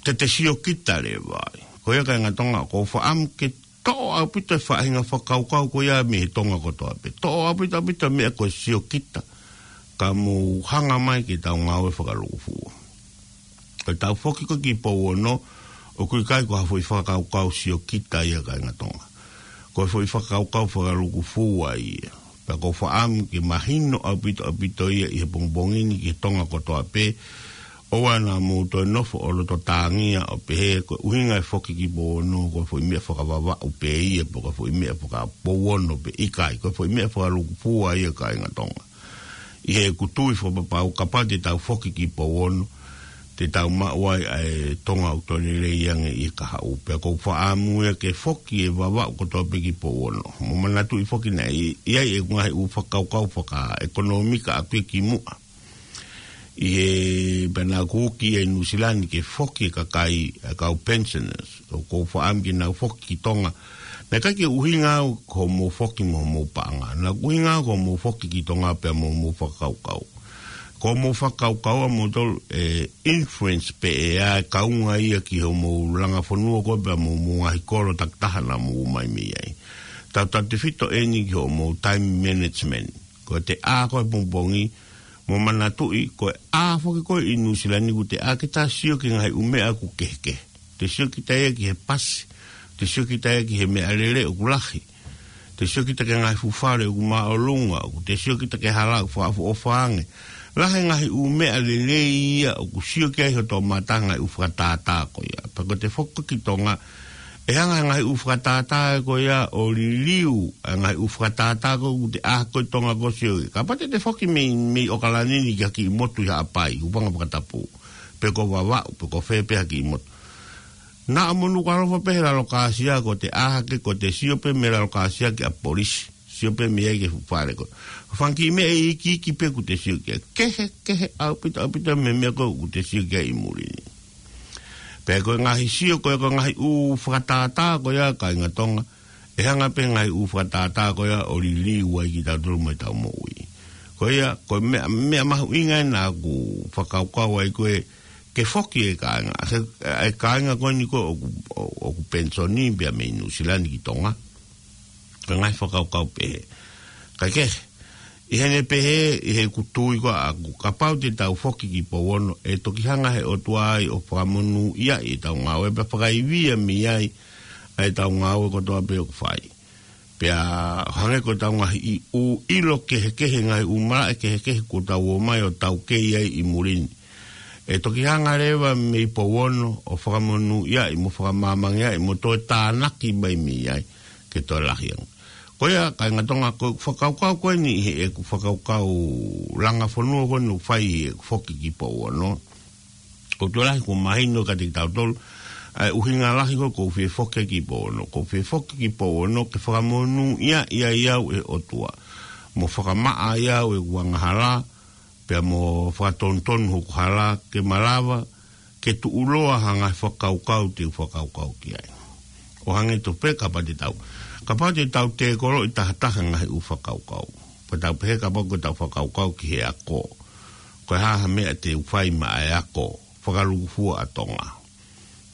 te te sio kita leva ai. Ko ia kāinga Tonga, ʻoku ou fakaʻamu ke toʻo ʻaupito e faʻahinga fakakaukau ko ia mei he Tonga kotoa pē. Toʻo ʻaupito, ʻaupito meʻa ko e sio kita. Ka mou hanga mai ke tau ngāue fakalūkufua. Ko ʻetau foki ko ē ki Pouono, ʻoku ʻikai ko ha foʻi fakakaukau sio kita ia kāinga Tonga. Ko e foʻi fakakaukau fakalūkufua ia. Pea ʻoku ou fakaʻamu ke mahino ʻaupito, ʻaupito ia ʻi he pongipongi ni ki he Tonga kotoa pē, ʻoua naʻa mou toe nofo ʻo loto tāngia ʻo pehē ko e ʻuhinga e foki ki Pouono, ko e foʻi meʻa fakavavaʻu pē ia, pe ko e foʻi meʻa fakapouono pē, ʻikai, ko e foʻi meʻa fakalūkufua ia kāinga Tonga. ʻI heʻeku tui fakapapau, kapau te tau foki ki Pouono, te tau maʻu ai ʻa e Tonga ʻoku toe lelei ange ʻi he kahaʻu. Pea ʻoku ou fakaʻamu ia ke foki e Vavaʻu kotoa pē ki Pouono. Mou manatuʻi foki naʻe ʻi, ʻi ai ʻeku ngaahi ʻū fakakaukau fakaʻekonōmika ʻaʻaku ia kimuʻa. ʻI he pena kuki ʻi Nuʻusila ni ke foki e kakai, e kau pensioners. ʻOku ou fakaʻamu ke nau foki ki Tonga. Naʻe ʻikai ke ʻuhinga au ko hoʻomou foki mo hoʻomou paʻanga. Naʻe ʻuhinga au ko hoʻomou foki ki Tonga pea mo hoʻomou fakakaukau. Ko hoʻomou fakakaukau ʻa moutolu ʻe influence pē ʻe ʻa e kaunga ia ki hoʻomou langa fonua ko ē pea mo hoʻomou ngaahi kolo takitaha naʻa mou ō mai mei ai. Tautautefito eni ki hoʻomou time management. Ko ʻete ʻā ko ē he pongipongi, mou manatuʻi, ko e ʻā foki ko ē ʻi Nuʻusila ni ʻoku te ʻā ke ta sio ki he ngaahi ʻū meʻa ʻoku kehekehe. Te sio kita ia ki he pasi, te sio kita ia ki he meʻalele ʻoku lahi, te sio kita ki he ngaahi fuʻu fale ʻoku māʻolunga, ʻoku te sio kita ki he hala ʻoku fakaʻofoʻofa ange. Lahi e ngaahi ʻū meʻa lelei ia ʻoku sio ki ai hoto mata, ngaahi ʻū fakatātā ko ia. Pea ko ʻete foki ki Tonga, ʻe hanga he ngaahi ʻū fakatātā ko ia ʻo liliu ʻa e ngaahi ʻū fakatātā ko ē ʻoku te ʻā ko ē ʻi Tonga ko ē ʻo sio ki ai. Kapau te te foki mei, mei ʻOkalani ni ki ha kiʻi motu ʻi Haʻapai, ʻuhinga fakatapu, pe ko Vavaʻu, pe ko fē pē ha kiʻi motu. Naʻa mo Nukuʻalofa pē he lalo kāsia, ko ʻete ʻā hake ko ʻete sio pē mei lalo kāsia ki ʻapi polisi. Sio pē mei ai ki he fuʻu fale ko ē. Fanga kiʻi meʻa iiki iiki pē ʻoku te sio ki ai. Kehekehe ʻaupito, ʻaupito mei he meʻa ko ē ʻoku te sio ki ai ʻi muli ni. Pea ko e ngaahi sio ko ē, ko e ngaahi ʻū fakatātā ko ia kāinga Tonga, ʻe hanga pē ngaahi ʻū fakatātā ko ia ʻo liliu ai kitautolu mo ʻetau moʻui. Ko ia, ko e meʻa, meʻa mahuʻinga ena ʻoku ou fakakaukau ai ko ē ke foki e kāinga. He, e kāinga ko eni ko ē ʻoku, ʻoku penisoni pea mei Nuʻusila ni ki Tonga. Ko e ngaahi fakakaukau pehē. Kae kehe, ʻi heʻene pehē, ʻi heʻeku tui ko ē ʻaʻaku, kapau te tau foki ki Pouono, ʻe toki hanga he ʻOtua ia ʻo fakamonūʻia ʻetau ngāue, pea fakaivia mei ai ʻa ʻetau ngāue kotoa pē ʻoku fai. Pea hangē ko ʻetau ngaahi ʻū ʻilo kehekehe, ngaahi ʻū malaʻe kehekehe kuo tau ō mai ʻo taukei ai ʻi muli ni, ʻe toki hanga leva mei Pouono ʻo fakamonūʻia mo fakamāmangeʻi mo toe tānaki mai mei ai ke toe lahi ange. Ko ia, kāinga Tonga, ko e fakakaukau ko eni ʻi heʻeku fakakaukau langa fonua ko eni ʻoku fai ʻi heʻeku foki ki Pouono. ʻOku tokolahi kuo mahino kiate kitautolu ʻa e ʻuhinga lahi ko ē ʻoku ou fie foki ki Pouono. ʻOku ou fie foki ki Pouono ke fakamonūʻia ai au ʻe he ʻOtua, mo fakamaʻa ai au ʻeku angahala, pea mo fakatonutonu hoku hala ke malava ke tuʻuloa ha ngaahi fakakaukau te u fakakaukau ki ai. ʻO hangē tofu pē kapau te tau, kapau te tau tēkoloʻi tahataha e ngaahi ʻū fakakaukau, pea tau pehē kapau ko ʻetau fakakaukau ki he ako, Ko e hā ha meʻa te u fai maʻa e ako fakalūkufua ʻa Tonga?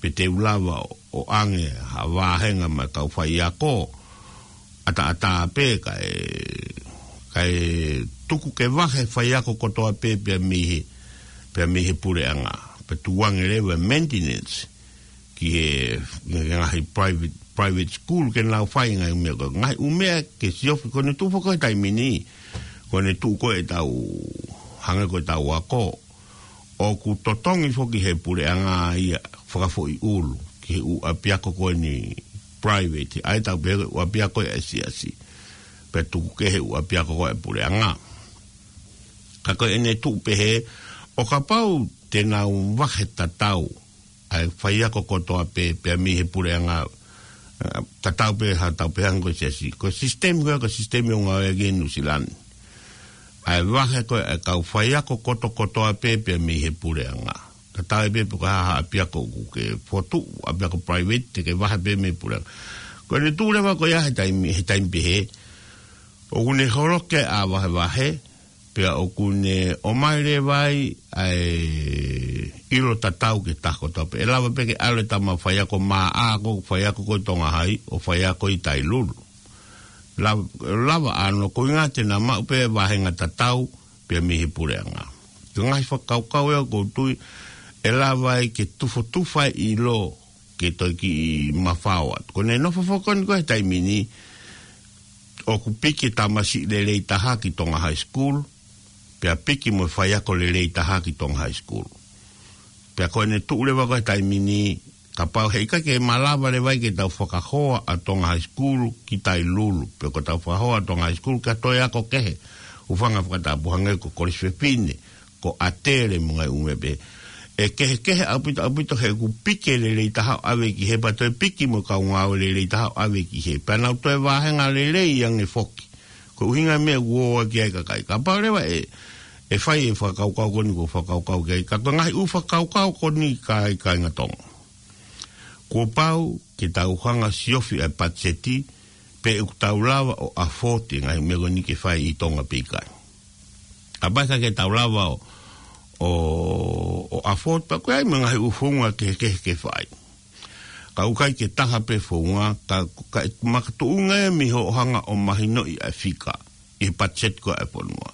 Pe te u lava ʻo, ʻo ʻange ha vāhenga maʻa e kau faiako ʻataʻatā pē kae, kae tuku ke vahe faiako kotoa pē pea mei he, pea mei he puleʻanga. Pea tuku ange leva e maintenance ki he, ki he ngaahi private, private school ke nau fai e ngaahi meʻa ko ē. Ngaahi ʻū meʻa ke siofi, ko ʻene tuʻu foki he taimi ni, ko ʻene tuʻu ko ē ʻetau, hangē ko ʻetau ako, ʻoku totongi foki he puleʻanga ia fakafoʻiʻulu ki he ʻū ʻapiako ko eni private, ʻa ia ʻoku tau pehē ko e ʻū ʻapiako ia ʻa e siasi. Pea tuku ki he ʻū ʻapiako ko ē ʻa e puleʻanga. Ka ko ʻene tuʻu pehē, ʻo kapau te nau vahe tatau ʻa e faiako kotoa pē, pea mei he puleʻanga, ʻa, tatau pē ha tau pehē ange ko e siasi. Ko e sisitemi ko ē, ko e sisitemi ʻoku ngāueʻaki ʻi Nuʻusila ni. ʻA e vahe ko ē ʻa e kau faiako kotokotoa pē, pea mei he puleʻanga. Tatau ai pē pe ko e hā ha ʻapiako ʻoku ke fokotuʻu, ʻapiako private, te ke vahe pē mei he puleʻanga. Ko ʻene tuʻu leva ko ia he taimi, he taimi pehē, ʻoku ne holoki ʻa e vahevahe, pea ʻoku ne ʻomai leva ai ʻa e ʻilo tatau ki he taha kotoa pē. ʻE lava pē ke ʻalu e tama faiako Maʻa ko e faiako ko ē ʻi Tonga Hai, ʻo faiako ʻi Tailulu. Lava, lava ʻānoa, koeʻuhinga te na maʻu pē vāhenga tatau pea mei he puleʻanga. Ko e ngaahi fakakaukau ia ʻoku ou tui ʻe lava ai ke tufotufa e ʻilo ke toe kiʻi mafao atu. Ko ʻene nofo foki ko eni ko ē he taimi ni, ʻoku piki e tamasiʻi lelei taha ki Tonga High School, pea piki mo e faiako lelei taha ki Tonga High School. Pea ko ʻene tuʻu leva ko ē he taimi ni, kapau heʻikai ke malava leva ai ke tau fakahoa ʻa Tonga High School ki Tailulu, pe ko ʻetau fakahoa ʻa Tonga High School ki ha toe ako kehe, hūfanga he fakatapu hangē ko e Kolisi Fefine, ko ʻAtele mo e ngaahi ʻū meʻa pehē. ʻE kehekehe ʻaupito, ʻaupito he ʻoku piki e lelei taha ʻo ʻave ki hē, pea toe piki mo e kau ngāue lelei taha ʻo ʻave ki hē. Pea nau toe vāhenga lelei ange foki. Ko e ʻuhinga e meʻa ʻoku ō ki ai e kakai. Kapau leva ʻe, ʻe fai e fakakaukau ko eni ʻoku ou fakakaukau ki ai. Ka ko e ngaahi ʻū fakakaukau ko eni kāinga, kāinga Tonga, kuo pau ke tau hanga ʻo siofi ʻa e patiseti, pe ʻoku tau lava ʻo afford e ngaahi meʻa ko eni ke fai ʻi Tonga pe ʻikai. Kapau ʻe ʻikai ke tau lava ʻo, ʻo, ʻo afford, pea ko e ʻai mo e ngaahi ʻū founga kehekehe ke fai. Ka ʻoku ʻikai ke taha pē founga, ka, ka makatuʻunga ia mei hoʻo hanga ʻo mahinoʻi ʻa e fika ʻi he patiseti ko ē ʻa e fonua.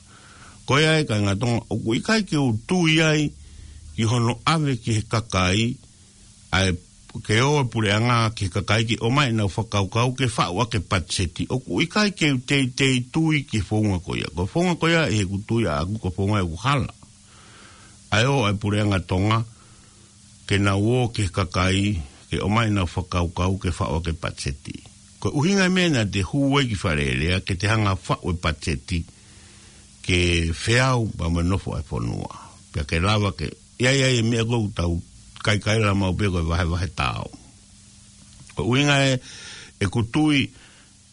Ko ia ai kāinga Tonga, ʻoku ʻikai ke u tui ai ki hono ʻave ki he kakai, ʻa e ke ō e puleʻanga ki he kakai ke ʻomai ʻenau fakakaukau ke faʻu ʻaki e patiseti. ʻOku ʻikai ke u teitei tui ki he founga ko ia. Ko e founga ko ia ʻi heʻeku tui ʻaʻaku ko e founga ʻoku hala. ʻA e ō ʻa e puleʻanga Tonga ke nau ō ki he kakai ke ʻomai ʻenau fakakaukau ke faʻu ʻaki e patiseti. Ko e ʻuhinga e meʻa naʻa te hū ai ki Fale Alea ke te hanga ʻo faʻu e patiseti ke feau pea mo e nofo ʻa e fonua. Pea ke lava ke ʻi ai, ʻi ai e meʻa ko ē ʻoku tau kaikaila maʻu pē ko e vahevahe taau. Ko e ʻuhinga ē ʻeku tui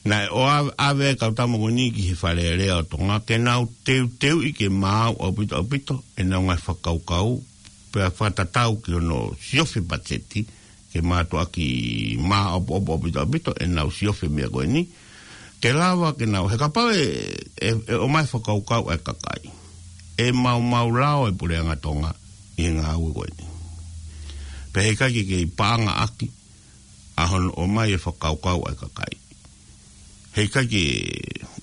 naʻe ʻoua ʻave e kau tama ko eni ki he Fale Alea ʻo Tonga ke nau teuteuʻi ke maau ʻaupito, ʻaupito ʻenau ngaahi fakakaukau, pea fakatatau ki hono siofi e patiseti, ke mātuʻaki māʻopoʻopo ʻaupito, ʻaupito ʻenau siofi e meʻa ko eni, ke lava ke nau, he kapau ʻe, ʻe, ʻe ʻomai e fakakaukau ʻa e kakai, ʻe maumau lao e puleʻanga Tonga ʻi he ngāue ko eni. Pea heʻikai ke kei paʻanga ʻaki ʻa hono ʻomai e fakakaukau ʻa e kakai. Heʻikai ke,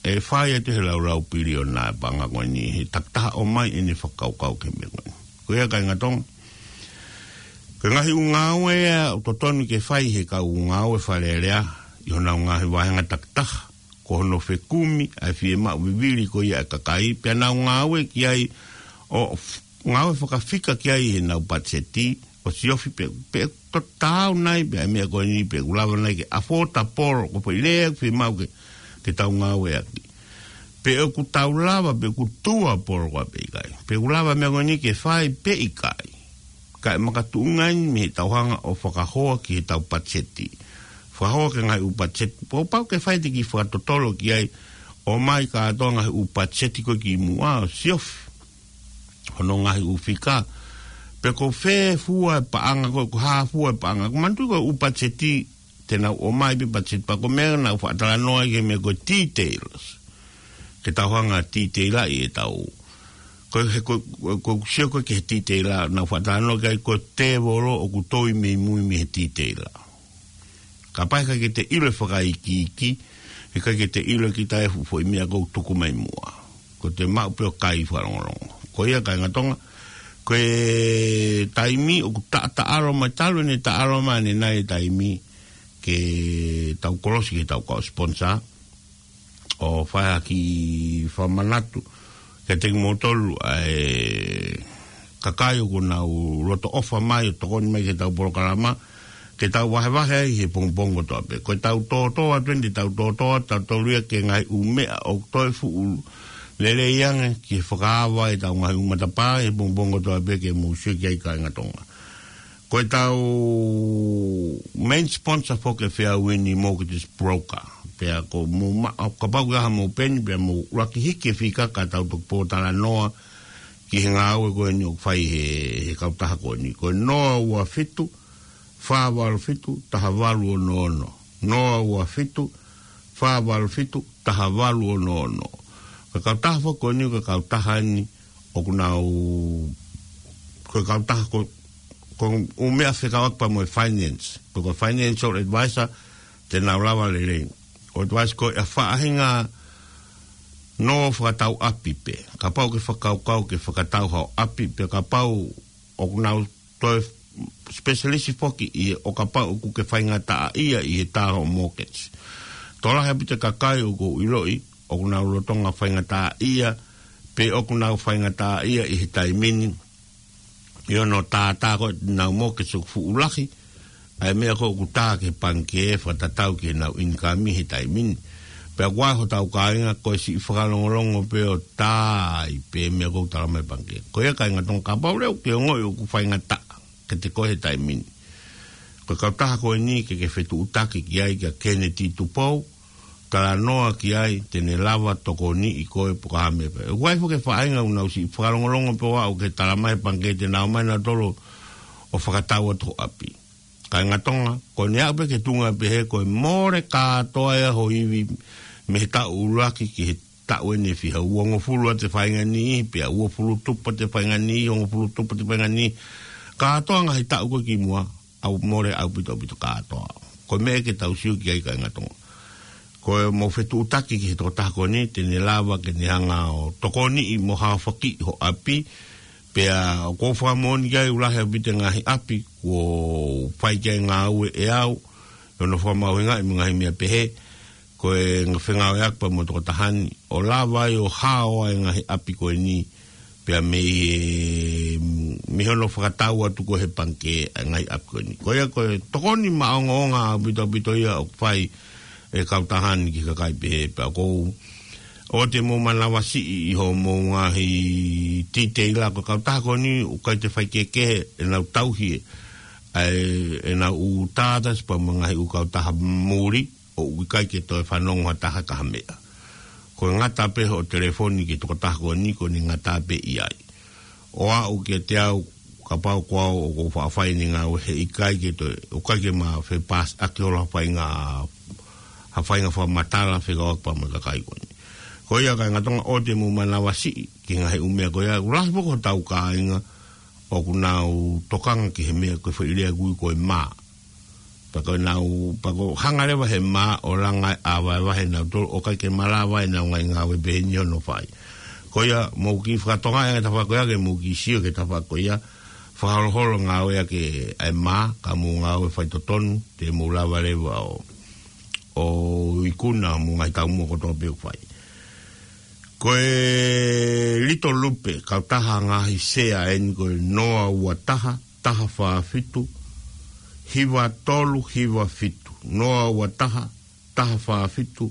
ʻe fai atu he laulau piliona e paʻanga ko eni he takitaha ʻomai ʻene fakakaukau ki he meʻa ko eni. Ko ia kāinga Tonga, ko e ngaahi ʻū ngāue ia ʻoku totonu ke fai ʻe he kau ngāue Fale Alea ʻi honau ngaahi vāhenga takitaha, ko hono fekumi ʻa e fiemaʻu vivili ko ia ʻa e kakai, pea nau ngāue ki ai ʻo f-, ngāue fakafika ki ai ʻi heʻenau patiseti, ʻo siofi pe, pe ʻoku taau nai pē ʻa e meʻa ko eni, pe ʻoku lava nai ke affordable, ko e foʻi lea ʻoku fiemaʻu ke, ke tau ngāueʻaki. Pe ʻoku tau lava, pe ʻoku doable ko ā pe ʻikai. Pe ʻoku lava e meʻa ko eni ke fai pe ʻikai. Kae makatuʻunga eni mei heʻetau hanga ʻo fakahoa ki heʻetau patiseti. Fakahoa ki he ngaahi ʻū patiseti. Kuo pau ke fai ʻete kiʻi fakatotolo ki ai, ʻomai kātoa e ngaahi ʻū patiseti ko ē kimuʻa ʻo siofi hono ngaahi ʻū fika. Pe ko fē fua e paʻanga ko ē, ko e hā fua e paʻanga. Ko e manatuʻi ko e ʻū patiseti te nau ʻomai pē patiseti pea ko e meʻa naʻa ku faʻa talanoa ai ki he meʻa ko e details. Ke tau hanga ʻo detailaʻi ʻetau Ko e, he ko, ko, ko sio ko e ki he titeila, naʻa ku faʻa talanoa ki ai, ko e tēvolo ʻoku toi mei mui mei he titeila. Kapau ʻe ʻikai ke te ʻilo e fakaikiiki, ʻe ʻikai ke te ʻilo kita e fuʻu foʻi meʻa ʻoku tuku mai muʻa. Ko te maʻu pē ʻo kai fakalongolongo. Ko ia kāinga Tonga, ko e taimi ʻoku taʻataʻalo mai talu ʻene taʻalo mai ʻanenai e taimi ke tau kolosi ke tau kau sponsor, ʻo fai ha kiʻi fakamanatu kiate kimoutolu ʻa e kakai ʻoku nau loto ʻofa mai ʻo tokoni mai ki heʻetau polokalama, ke tau vahevahe ai he pongipongi kotoa pē. Ko ʻetau tōtō atu eni, tau tōtō atu tautolu ia ki he ngaahi ʻū meʻa ʻoku toe fuʻu lelei ange ki he fakaava ʻetau ngaahi ʻū matapā he pongipongi kotoa pē ke mou sio ki ai kāinga Tonga. Ko ʻetau main sponsor foki e Fairwind Mortgage Broker. Pea ko mou ma-, kapau ʻoku ʻi ai haʻamou peni, pea mou ʻuluaki hiki e fika ka tau toki pōtalanoa ki he ngāue ko eni ʻoku fai he, he kautaha ko eni. Ko e noa ua fitu, fā valu fitu, taha valu ono ono. Noa ua fitu, fā valu fitu, taha valu ono ono. Ko e kautaha foki ko eni, ko e kautaha eni, ʻoku nau, ko e kautaha ko, ko e ʻū meʻa fekauʻaki pea mo e finance. Ko e financial advisor, te nau lava lelei ʻo advice ko e faʻahinga nō fakatau ʻapi pē. Kapau ʻoku ke fakakaukau ke fakatau haʻo ʻapi pē, kapau ʻoku nau toe specialist foki ʻi he ʻo kapau ʻoku ke faingataʻaʻia ʻi he tā hoʻo mortgage. Tokolahi ʻaupito e kakai ʻoku ou ʻiloʻi ʻoku nau lolotonga faingataʻaʻia, pe ʻoku nau faingataʻaʻia ʻi he taimi ni ʻi hono tātā ko ē ʻenau mortgage ʻoku fuʻu lahi, ʻa e meʻa ko ē ʻoku tā ki he pangikē fakatatau ki heʻenau income he taimi ni. Pea ʻoku ʻi ai hotau kāinga ko e siʻi fakalongolongo pē ʻo tā ai pē meʻa ʻoku tala mai pangikē. Ko ia kāinga Tonga, kapau leva ʻoku ke ongoʻi ʻoku faingataʻa kiate koe he taimi ni, ko e kautaha ko eni ke ke fetuʻutaki ki ai kia Kennedy Tupou, talanoa ki ai, te ne lava tokoniʻi koe pe ko e hā e meʻa pē. ʻOku ʻi ai foki e faʻahinga ʻoku nau siʻi fakalongolongo pē ʻo aʻu ki he tala mai pangikē te nau ō mai nautolu ʻo fakatau atu ho ʻapi. Kāinga Tonga, ko ʻene aʻu pē ki he tuʻunga pehē ko e mole kātoa ia ho ivi mei he taʻu ʻuluaki ki he taʻu ʻe fiha, uongofulu ʻa e faʻahinga niʻihi, pea uofulu tupu ʻa e faʻahinga niʻihi, hongofulu tupu ʻa e faʻahinga niʻihi. Kātoa ngaahi taʻu ko ē kimuʻa, ʻoku mole ʻaupito ʻaupito kātoa. Ko e meʻa ke tau sio ki ai kāinga Tonga, ko e mou fetuʻutaki ki he tokotaha ko eni, te ne lava ke ne hanga ʻo tokoniʻi mo haofaki ho ʻapi. Pea ʻoku ou fakamoʻoni ki ai ʻoku lahi ʻaupito e ngaahi ʻapi kuo fai ki ai e ngāue ʻe au, ʻi hono fakamahuʻingaʻi mo e ngaahi meʻa pehē, ko e ngaahi fengāueʻaki pea mo e tokotaha ni ʻo lava ai ʻo hao ai e ngaahi ʻapi ko eni, pea mei he, mei hono fakatau atu ko ē he pangikē ʻa e ngaahi ʻapi ko eni. Ko ia ko e tokoni maʻongoʻonga ʻaupito ʻaupito ia ʻoku fai ʻe he kautaha ni ki he kakai pehē. Pea ʻoku ou ʻoua te mou manavasiʻi ʻi hoʻomou ngaahi titeila, ko e kautaha ko eni ʻoku ʻikai te faikehekehe ʻenau tauhi ʻa e, ʻenau ʻū tātasi pea mo e ngaahi ʻū kautaha muli, ʻoku ʻikai ke toe fanongo ha taha ki ha meʻa. Ko e ngata pē hoʻo telefoni ki he tokotaha ko eni, ko ʻene ngata pē ʻi ai. ʻO aʻu kiate au, kapau ko au ʻoku ou faʻa fai ʻeni e ngāue, he ʻikai ke toe, ʻoku ʻikai ke ma fepāsiʻaki holo ha faʻahinga, ha faʻahinga fakamatala fekauʻaki pea mo e kakai ko eni. Ko ia kāinga Tonga, ʻoua te mou manavasiʻi ki he ngaahi ʻū meʻa ko ia, ʻoku lahi foki hotau kāinga ʻoku nau tokanga ki he meʻa ko e foʻi lea ʻoku ui ko e mā. Pea ko ʻenau, pea ʻoku hanga leva he mā ʻo langa ʻa e vaivai ʻenau tolo, ʻoku ʻikai ke malava ʻenau ngaahi ngāue pehē ni hono fai. Ko ia mou kiʻi fakatonga e tafaʻaki ko ia ke mou kiʻi sio ki he tafaʻaki ko ia, fakaholoholo ngāueʻaki ʻa e mā, ka mou ngāue faitotonu, te mou lava leva ʻo, ʻo ikuna mo e ngaahi taumuʻa kotoa pē ʻoku fai. Ko e Little Lupe, kautaha ngaahi sea ʻeni ko e noa ua taha, taha fā fitu, hiva tolu hiva fitu. Noa ua taha, taha fā fitu,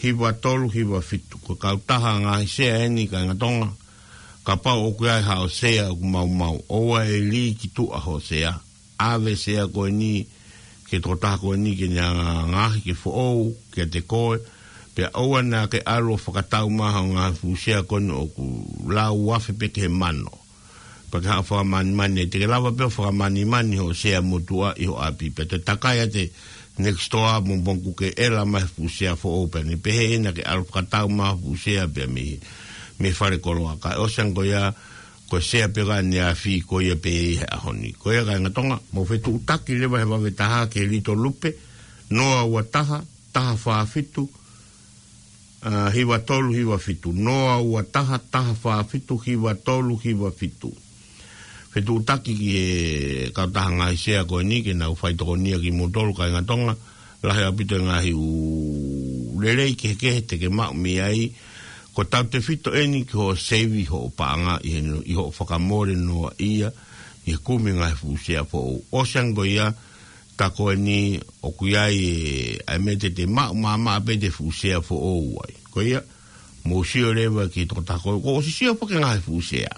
hiva tolu hiva fitu. Ko e kautaha ngaahi sea ʻeni kāinga Tonga, kapau ʻoku ʻi ai haʻo sea ʻoku maumau, ʻoua ʻe lī ki tuʻa hoʻo sea. ʻAve e sea ko eni ki he tokotaha ko eni ke ne hanga ʻo ngaohi ke foʻou kiate koe, pea ʻoua naʻa ke ʻalu ʻo fakatau mai hoʻo ngaahi fuʻu sea ko eni ʻoku lau afe pē ki he mano. Pea ke haʻu ʻo fakamanimani, te ke lava pē ʻo fakamanimani hoʻo sea motuʻa ʻi ho ʻapi, pea te takai atu e next door mo pongipongi kuo ke ʻela mai e fuʻu sea foʻou pea ne pehē ʻe ia naʻa ke ʻalu ʻo fakatau mai hoʻo fuʻu sea pea mei he mei falekoloa. Kae ʻosi ange ko ia, ko e sea pē ʻa ʻaneafi ko ia pē ʻi he ʻaho ni. Ko ia kāinga Tonga, mou fetuʻutaki leva he vave taha ki he Little Lupe, noa ua taha, taha fā fitu, ʻa, hiva tolu hiva fitu, noa ua taha, taha fā fitu, hiva tolu hiva fitu. Fetuʻutaki ki he kautaha ngaahi sea ko eni ke nau faitokonia kimoutolu kāinga Tonga, lahi ʻaupito e ngaahi ʻū lelei kehekehe te ke maʻu mei ai, ko tautefito eni ki hoʻo seivi hoʻo paʻanga ʻi he, ʻi hoʻo fakamole noa ia, ʻi he kumi ngaahi fuʻu sea foʻou. ʻOsi ange ko ia, ka ko eni ʻoku ʻi ai e, ʻa e meʻa te te maʻu maʻamaʻa pē te fuʻu sea foʻou ai. Ko ia, mou sio leva ki he tokotaha ko, ko ʻosi sio pē ki he ngaahi fuʻu sea.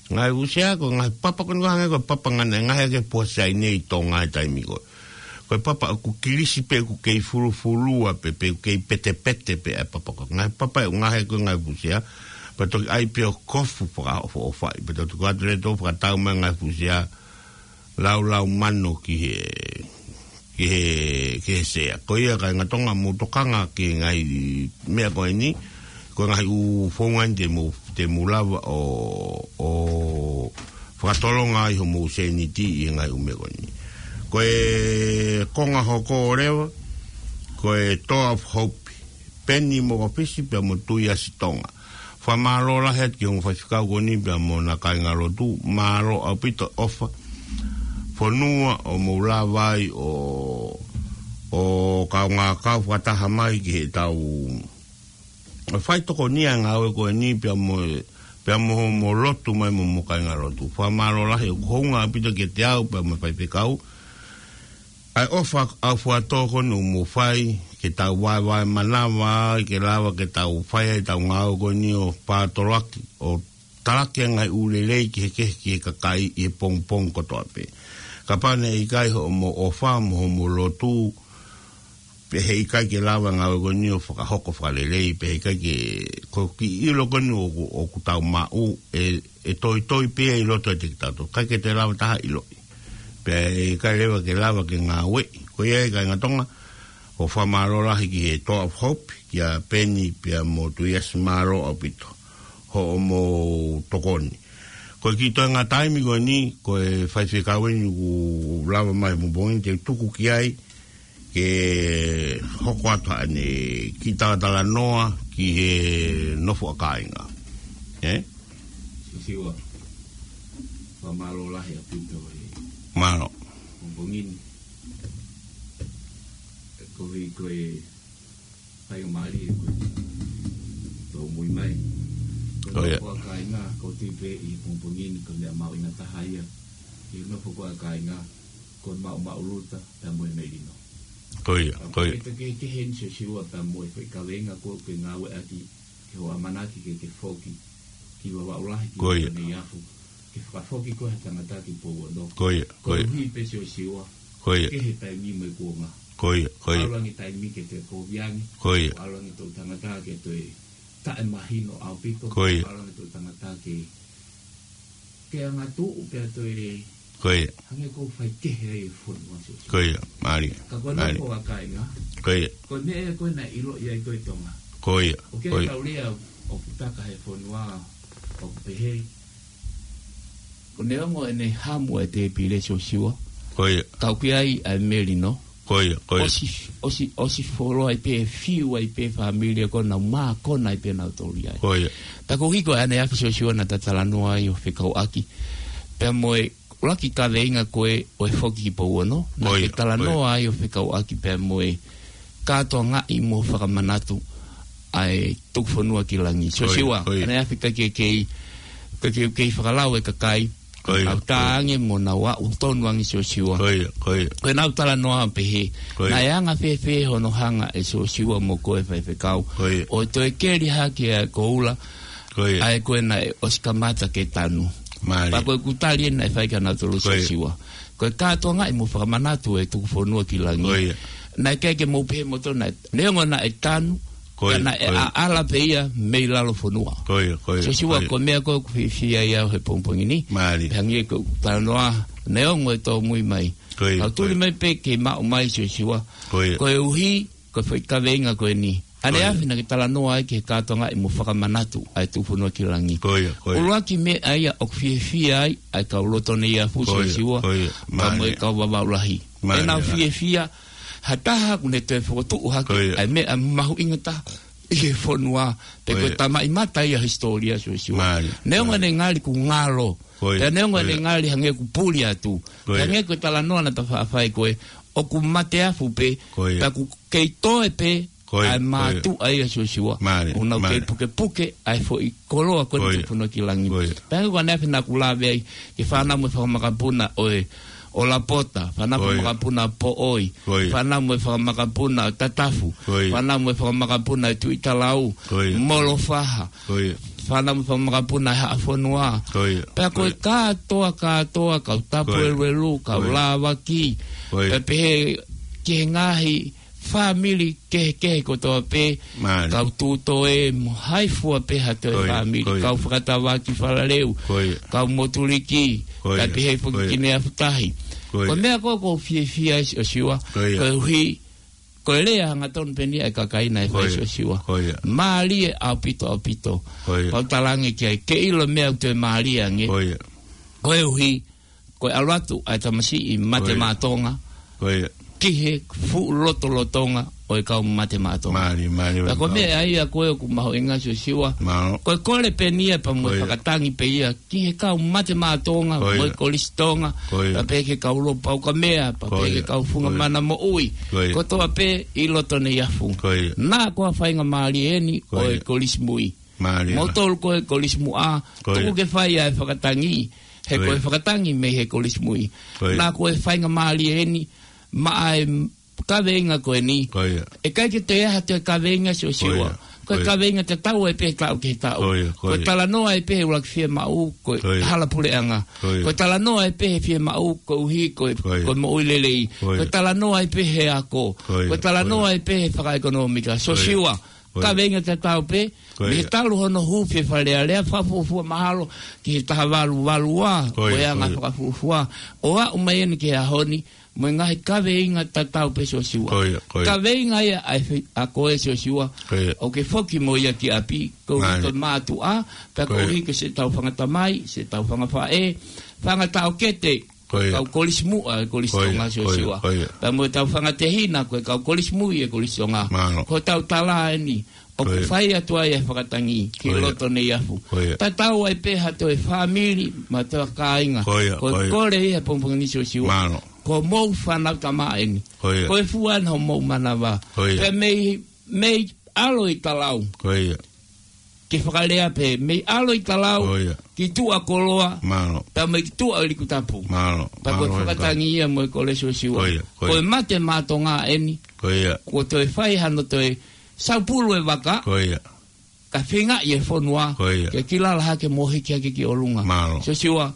Ngaahi fuʻu sea ko e ngaahi papa ko eni ko e hangē ko e papa ngana, ngaahi ake pua Saine ʻi Tonga he taimi ko ē. Ko e papa ʻoku kilisi pē ʻoku kei fulufulua pē, pe ʻoku kei petepete pē ʻa e papa ko ē. Ngaahi papa ʻoku ngaahi ko e ngaahi fuʻu sea. Pea toki ʻai pē ʻo kofu fakaʻofoʻofaʻi. Pea toki ko atu leva ʻo fakatau mai ngaahi fuʻu sea. Laulau mano ki he, ki he, ki he sea. Ko ia kāinga Tonga mou tokanga ki he ngaahi meʻa ko eni, ko e ngaahi ʻū founga eni te mou, te mou lava ʻo, ʻo fakatolonga ai homou sēniti ʻi he ngaahi ʻū meʻa ko eni. Ko e konga hoko leva, ko e Door of Hope, Peni Mokopisi pea mo Tuiasi Tonga. Fakamālō lahi atu ki he ongo faifekau ko eni pea mo hona kāingalotu, mālō ʻaupito ʻofa fonua ʻoku mou lava ai ʻo, ʻo kaungā kau fakataha mai ki heʻetau faitokonia ngāue ko eni pea mo, pea mo, mo lotu mai mo, mo kāingalotu. Fakamālō lahi ʻoku hounga ʻaupito kiate au pea mo e faifekau ʻa e ʻofa ʻaufuatō ko eni ʻoku mou fai, ke tau vaevae manava ai, ke lava ke tau fai ai ʻetau ngāue ko eni ʻo pātoloaki, ʻo talaki ʻa e ngaahi ʻū lelei kehekehe ki he kakai ʻi he pongipongi kotoa pē. Kapau naʻe ʻikai hoʻomou ʻofa mo hoʻomou lotu, pea heʻikai ke lava e ngāue ko eni ʻo fakahoko fakalelei, pea heʻikai ke, ko e kiʻi ʻilo ko eni ʻoku, ʻoku tau maʻu, ʻe, ʻe toitoi pē ia ʻi loto ʻiate kitautolu. ʻIkai ke toe lava ha taha ʻo ʻiloʻi. Pea ʻe ʻikai leva ke lava ke ngāueʻi. Ko ia ai kāinga Tonga, ʻoku fakamālō lahi ki he Door of Hope, kia Peni pea mo Tuiasi, mālō ʻaupito hoʻomou tokoni. Ko e kiʻi toenga taimi ko eni, ko e faifekau eni ʻoku lava mai he pongipongi ni te u tuku ki ai, ke hoko atu haʻane kiʻi talatalanoa ki he nofo ʻa kāinga. Ē? Sisiua, fakamālō lahi ʻaupito he Mālō. pongipongi ni. Ko e, ko e faingamālie ko ē ʻoku mou ʻomai. Ko e Ko ia. nofo ʻa kāinga, ʻoku ou tui pē ʻi he pongipongi ni, ko e meʻa mahuʻinga taha ia ʻi he nofo ko ē ʻa kāinga, ko e maʻumaʻuluta pea mo e melino. Ko ia, Ka ko ia. e te ke, ke heni Sosiua pea mo e foʻi kaveinga ko ē ʻoku ke ngāueʻaki, ke ʻoua ʻamanaki ke ke foki ki Vavaʻu Lahi ki Ko ia. Vavaʻu Nei Afu, ke fakafoki koe ha tangata ki Pouono. Ko ia, Ko ko ia. e ʻuhi pē Sosiua, Ko ia. ke he taimi mo e kuonga. Ko ia, ko ia. ʻAlu ange taimi ke toe kovi ange. Ko ia. ʻAlu ange toʻutangata ke toe taʻemahino ʻaupito. Ko ia. ʻAlu ange toʻutangata ke, ke angatuʻu pea toe Ko ia. hangē ʻoku fai kehe ai e fonua Sosiua. Ko ia, mālie. Ka ko e Mālie. nofo ʻa kāinga. Ko ia. Ko e meʻa ia ko ē naʻe ʻiloʻi ai ko ē Tonga. Ko ia. ʻOku Ko ia. tau lea ʻoku taka he fonua ʻoku pehē. Ko neongo ʻene hamu ʻa e tēpile Sosiua. Ko ia. Ka ʻoku ʻi ai ʻa e melino. Ko ia, ko ia. ʻOsi, ʻosi, ʻosi folo ai pē, fiu ai pē fāmili ko ē naʻa nau mākona ai pē nautolu ia. Ko ia. Pea ko e ʻuhi ko ē ʻaneafi Sosiua naʻa ta talanoa ai ʻo fekauʻaki pea mo e ʻuluaki kaveinga ko ē ʻo e foki ki Pouono, naʻa Ko ia, ke talanoa ko ia. ai ʻo fekauʻaki pea mo e kātoangaʻi mo fakamanatu ʻa e tuku fonua ki langi. Ko ia, Sosiua, ko ia. ʻaneafi ka ke kei, ka ke kei fakalau e kakai, Ko ia, nau ko ia. tāange mo nau aʻu tonu ange Sosiua. Ko ia, ko ia. Ko ʻenau talanoa pehē. Ko ia. Naʻe anga fēfē hono hanga ʻe Sosiua mo koe faifekau. Ko ia. ʻO toe keli hake ʻa e koula, Ko ia. ʻa ē ko ē naʻe ʻosi kamata ke tanu. Mālie. Pea ko e kutali ē naʻe fai kia nautolu Ko ia. Sosiua. Ko e kātoangaʻi mo fakamanatu e tuku fonua ki langi. Ko ia. Naʻe ʻikai ke mou pehē moutolu naʻe, neongo naʻe tanu, Ko ia, ka naʻe ko ia. ʻaʻala pē ia mei lalo fonua. Ko ia, ko ia, Sosiua, ko ia. ko e meʻa ko ē ʻoku fiefia ai au he pongipongi ni. Mālie. Pea hangē ko e talanoa, neongo e tōmui mai. Ko ia, Kau tuli ko ia. mai pē ke maʻu mai Sosiua. Ko ia. Ko e ʻuhi, ko e foʻi kaveinga ko eni. ʻAneafi naʻa ke talanoa ai ki he kātoangaʻi mo fakamanatu ʻa e Tufunua ki Langi. Ko ia, ko ia. ʻUluaki meʻa ia ʻoku fiefia ai ʻa e kau Lotoneiafu, Siosiua, pea mo e kau Vavaʻu Lahi. Mālie. ʻEnau fiefia ha taha ʻoku ne toe fokotuʻu hake ʻa e meʻa mahuʻinga taha ʻi he fonua, pe ko e tamaʻimata ia ʻo e hisitōlia, Siosiua. Neongo ʻene ngali ʻoku ngalo, pea neongo ʻene ngali hangē ʻoku puli atu, pea hangē ko e talanoa naʻa ta faʻa fai ko ē, ʻoku mate afu pē, pea ʻoku kei toe pē ʻa e mātuʻa ia, Siosiua. ʻOku nau kei pukepuke ʻa e foʻi koloa ko eni Tufunua ki Langi. Pea hangē ko ʻaneafi naʻa ku lave ai ki he fānau mo e fanga makapuna ʻo e, ʻo Lapota, fānau mo e fanga makapuna ʻo Poʻoi, fānau mo e fanga makapuna ʻo Tatafu, fānau mo e fanga makapuna ʻo Tuʻitalau, Molofaha, fānau mo e fanga makapuna ʻo Haʻafonua. Pea ko e kātoa, kātoa, kau Tapueluelu, kau Lāvaki, pea pehē ki he ngaahi fāmili kehekehe kotoa pē, kau Tūtoe mo hai fua pē ha toe fāmili, kau Fakatavaki Falaleu, kau Motuliki, pea pehē foki ki Neafutahi. Ko e meʻa ko ē ʻoku ou fiefia ai, Siosiua, koeʻuhi ko e lea hangatonu pē eni ʻa e kakai naʻe fai, Siosiua. Mālie ʻaupito, ʻaupito. Pau talange ki ai, ke ʻilo meʻa ʻoku toe mālie ange. Koeʻuhi ko e ʻalu atu ʻa e tamasiʻi mate maʻa Tonga ki he fuʻu lotolotonga ʻo e kau mate maʻa Tonga. Pea ko e meʻa ia ko ē ʻoku mahuʻinga, Siosiua. Ko e kole pē eni ia pea mo e fakatangi pē ia ki he kau mate maʻa Tonga, mo e Kolisi Tonga, pea pehē ki he kau Lopa Ukamea, pea pehē ki he kau Funga Mana Moʻui, kotoa pē ʻi Lotoneiafu. Naʻa ko ha faingamālie eni ʻo e Kolisi Mui. Mālie. Moutolu ko e Kolisi Muʻa, tuku ke fai ʻa e fakatangi, he ko e fakatangi mei he Kolisi Mui. Naʻa ko e faingamālie eni maʻa e kaveinga ko eni. ʻIkai ke toe ʻi ai ha toe kaveinga, Siosiua. Ko e kaveinga tatau ai pē he taʻu ki he taʻu. Ko e talanoa ai pē he ʻuluaki fiemaʻu, ko e hala puleʻanga. Ko e talanoa ai pē he fiemaʻu, koeʻuhi ko e, ko e moʻui lelei. Ko e talanoa ai pē he ako. Ko e talanoa ai pē he fakaʻekonōmika. Siosiua. Kaveinga tatau pē, mei he talu hono hū fie Fale Alea, fakafuofua mahalo ki he taha valu valu ua, ko e anga fakafuofua ʻo aʻu mai eni ki he ʻaho ni, mo e ngaahi kaveinga tatau pē, Siosiua. Kaveinga ia ʻa e fe-, ʻa ko ē, Siosiua, ʻoku ke foki mo ia ki ʻapi, koeʻuhi ko e mātuʻa, pea koeʻuhi ko siʻetau fanga tamai, siʻetau fanga faʻē, fanga taʻokete, kau Kolisi Muʻa, Kolisi Tonga, Siosiua. Pea mo ʻetau fanga tehina, ko e kau Kolisi Mui ʻa e Kolisi Tonga. Ko ʻetau tala eni, ʻoku fai atu ai ʻa e fakatangi ki Lotoneiafu. Tatau ai pē ha toe fāmili, mo ha toe kāinga. Ko e kole ia he pongipongi ni, Siosiua. Ko homou fānau tama eni. Ko e fua eni homou manava. Pea mei, mei ʻAlo ʻi Talau. Ke fakalea pē, mei ʻAlo ʻi Talau ki Tuʻa Koloa, pea mei Tuʻa ʻi Likutapu. Pea ko e fakatangi ia mo e kole, Siosiua. Ko e mate maʻa Tonga eni. Kuo toe fai hano toe saupulu e vaka. Ka feingaʻi e fonua ke kilala hake mo hiki hake ki ʻolunga. Siosiua,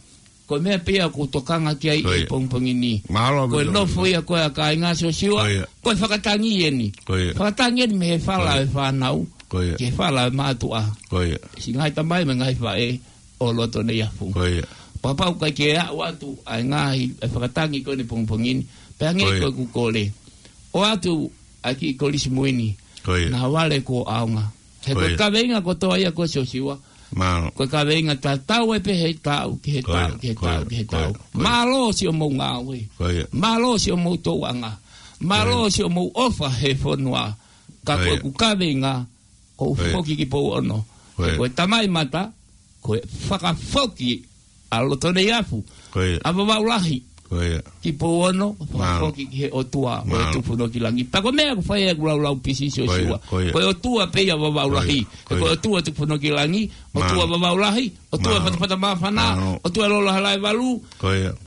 ko e meʻa pē ia ʻoku ou tokanga ki ai he pongipongi ni. Ko e nofo ia ko ē ʻa e kāinga, Siosiua. Ko e fakatangi eni. Fakatangi eni mei he fala ʻo e fānau ki he fala ʻo e mātuʻa. Siʻi ngaahi tamai mo e ngaahi faʻē ʻo Lotoneiafu. Pea kapau ʻoku ʻikai ke aʻu atu ʻa e ngaahi, ʻa e fakatangi ko eni he pongipongi ni, pea hangē ko ʻeku kole, ʻoatu ʻa e kiʻi Kolisi Mui ni, naʻa vale kuo ʻaonga. He ko e kaveinga kotoa ia ko ē, Siosiua. Ko e kaveinga tatau ai pē he taʻu ki he taʻu ki he taʻu ki he taʻu. Mālō siʻomou ngāue. Mālō siʻomou tokanga. Mālō siʻomou ʻofa he fonua. Ka ko ʻeku kaveinga, ʻoku ou foki ki Pouono. He ko e tamaimata, ko e fakafoki ʻa Lotoneiafu, ʻa Vavaʻu Lahi ki Pouono, fakafoki ki he ʻOtua ʻo e Tufunua ki Langi. Pea ko e meʻa ʻoku fai ai ʻeku laulau pisi, Siosiua. Ko e ʻOtua pē ia ʻo Vavaʻu Lahi. Ko e ʻOtua Tufunua ki Langi, ʻOtua Vavaʻu Lahi, ʻOtua Fatafata Māfana, ʻOtua Lolo Halaevalu,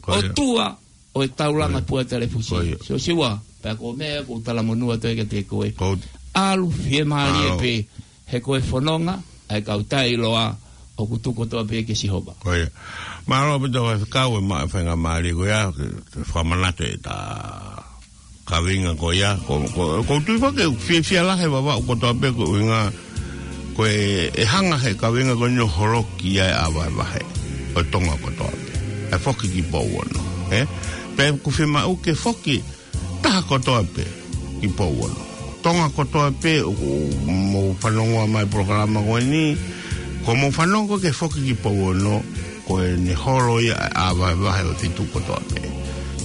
ʻOtua ʻo e Taulanga Pua Telefusi. Siosiua, pea ko e meʻa ʻoku ou talamonū atu ai kiate koe. ʻAlu fiemālie pē, he ko e fononga ʻa e kau taʻeʻiloa ʻoku tuku kotoa pē kia Sihova. Mālō ʻaupito, Faifekau, e maʻu e faingamālie ko ia ke fakamanatu ʻeta kaveinga ko ia. Ko, ko, ʻoku ou tui foki ʻoku fiefia lahi e Vavaʻu kotoa pē, ko e ʻuhinga ko e, ʻe hanga he kaveinga ko eni ʻo holoki ʻa e vahevahe ʻo Tonga kotoa pē, ʻa e foki ki Pouono, ē? Pea ʻoku fiemaʻu ke foki taha kotoa pē ki Pouono. Tonga kotoa pē ʻoku mou fanongo mai polokalama ko eni, ko mou fanongo ke foki ki Pouono, ko ʻene holo ia ʻa e vahevahe ʻo e feituʻu kotoa pē.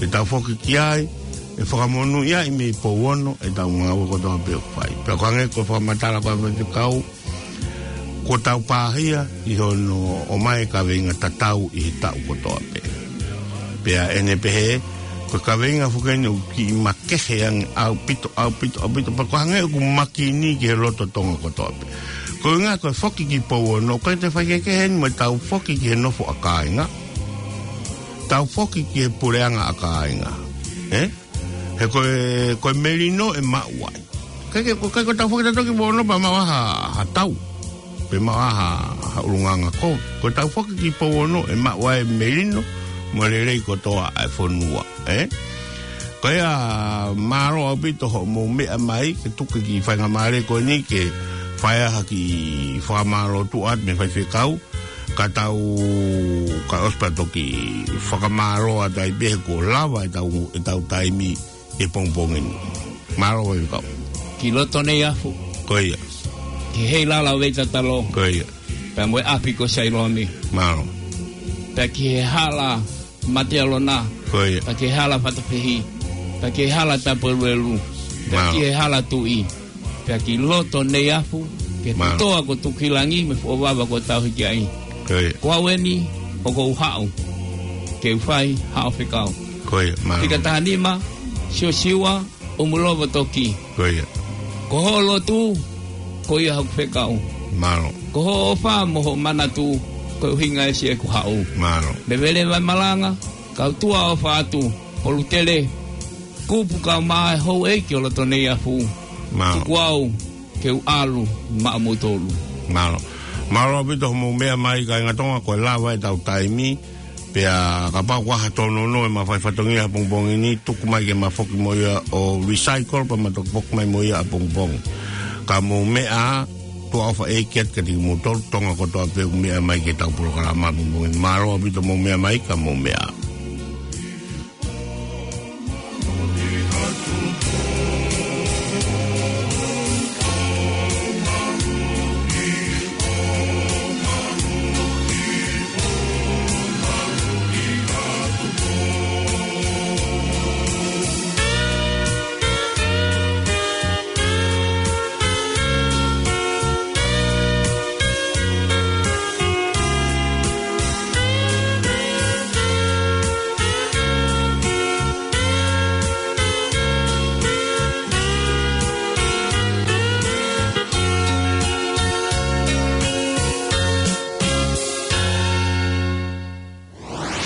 ʻE tau foki ki ai, ʻe fakamonūʻia ai mei Pouono ʻetau ngāue kotoa pē ʻoku fai. Pea ko e hangē ko e fakamatala ko ē ʻa e faifekau, kuo tau pāhia ʻi hono ʻomai e kaveinga tatau ʻi he taʻu kotoa pē. Pea ʻene pehē, ko e kaveinga foki eni ʻoku kiʻi makehe ange ʻaupito, ʻaupito, ʻaupito, pea ko e hangē ʻoku makini ki he loto Tonga kotoa pē. Ko e ʻuhinga ko e foki ki Pouono, ʻoku ʻikai toe faikehekehe eni mo ʻetau foki ki he nofo ʻa kāinga. Tau foki ki he puleʻanga ʻa kāinga. Ē? He ko e, ko e melino ʻe maʻu ai. ʻIkai ke, ko e ʻikai ko ʻetau foki tautolu ki Pouono pea maʻu ai ha, ha tau. Pe maʻu ai ha, ha ʻulungaanga ko. Ko ʻetau foki ki Pouono ʻe maʻu ai e melino mo e lelei kotoa ʻa e fonua. Ē? Ko ia mālō ʻaupito hoʻomou meʻa mai ke tuku e kiʻi faingamālie ko eni ke fai ha kiʻi fakamālō tuʻa atu mei he faifekau. Ka tau, ka ʻosi pea toki fakamālō atu ai pē he kuo lava ʻetau, ʻetau taimi he pongipongi ni. Mālō faifekau. Ki loto Neiafu. Ko ia. Ki he hala ʻo Veitatalo. Ko ia. Pea mo e ʻapi ko Sailomi. Mālō. Pea ki he hala Matealona. Ko ia. Pea ki he hala Fatafehi. Pea ki he hala Tapueluelu. Pea Mālō. Ki he hala Tuʻi. Pea ki loto Neiafu, ki he Mālō. Putoa ko Tukuhilangi mo e fuʻu vava ko Tauhiki ai. Ko ia. Ko au eni, ʻoku ou haʻu ke u fai haʻo fekau. Ko ia, mālō. Fika taha nima, Siosiua ʻUmulovo Toki. Ko ia. Ko hoʻo lotu, ko ia hoku fekau. Mālō. Ko hoʻo ʻofa mo hoʻo manatu, ko e ʻuhinga ʻeni ʻeku haʻu. Mālō. Mei Vele Vai Malanga, kau tuʻa ʻofa atu, Polutele, kupu kau mai houʻeiki ʻo loto Neiafu. Mālō. Tuku au ke u ʻalu maʻamoutolu. Mālō. Mālō ʻaupito hoʻomou meʻa mai kāinga Tonga, ko e lava ʻetau taimi. Pea kapau ʻoku ʻi ai ha tōnounou ʻe mafai fatongia he pongipongi ni, tuku mai ke ma foki mo ia ʻo recycle, pea ma toki foki mai mo ia ʻapongipongi. Ka mou meʻa, tuʻa ʻofa ʻeiki atu kiate kimoutolu, Tonga kotoa pē ʻoku meʻa mai ki heʻetau polokalama he pongipongi ni. Mālō ʻaupito hoʻomou meʻa mai, ka mou meʻa.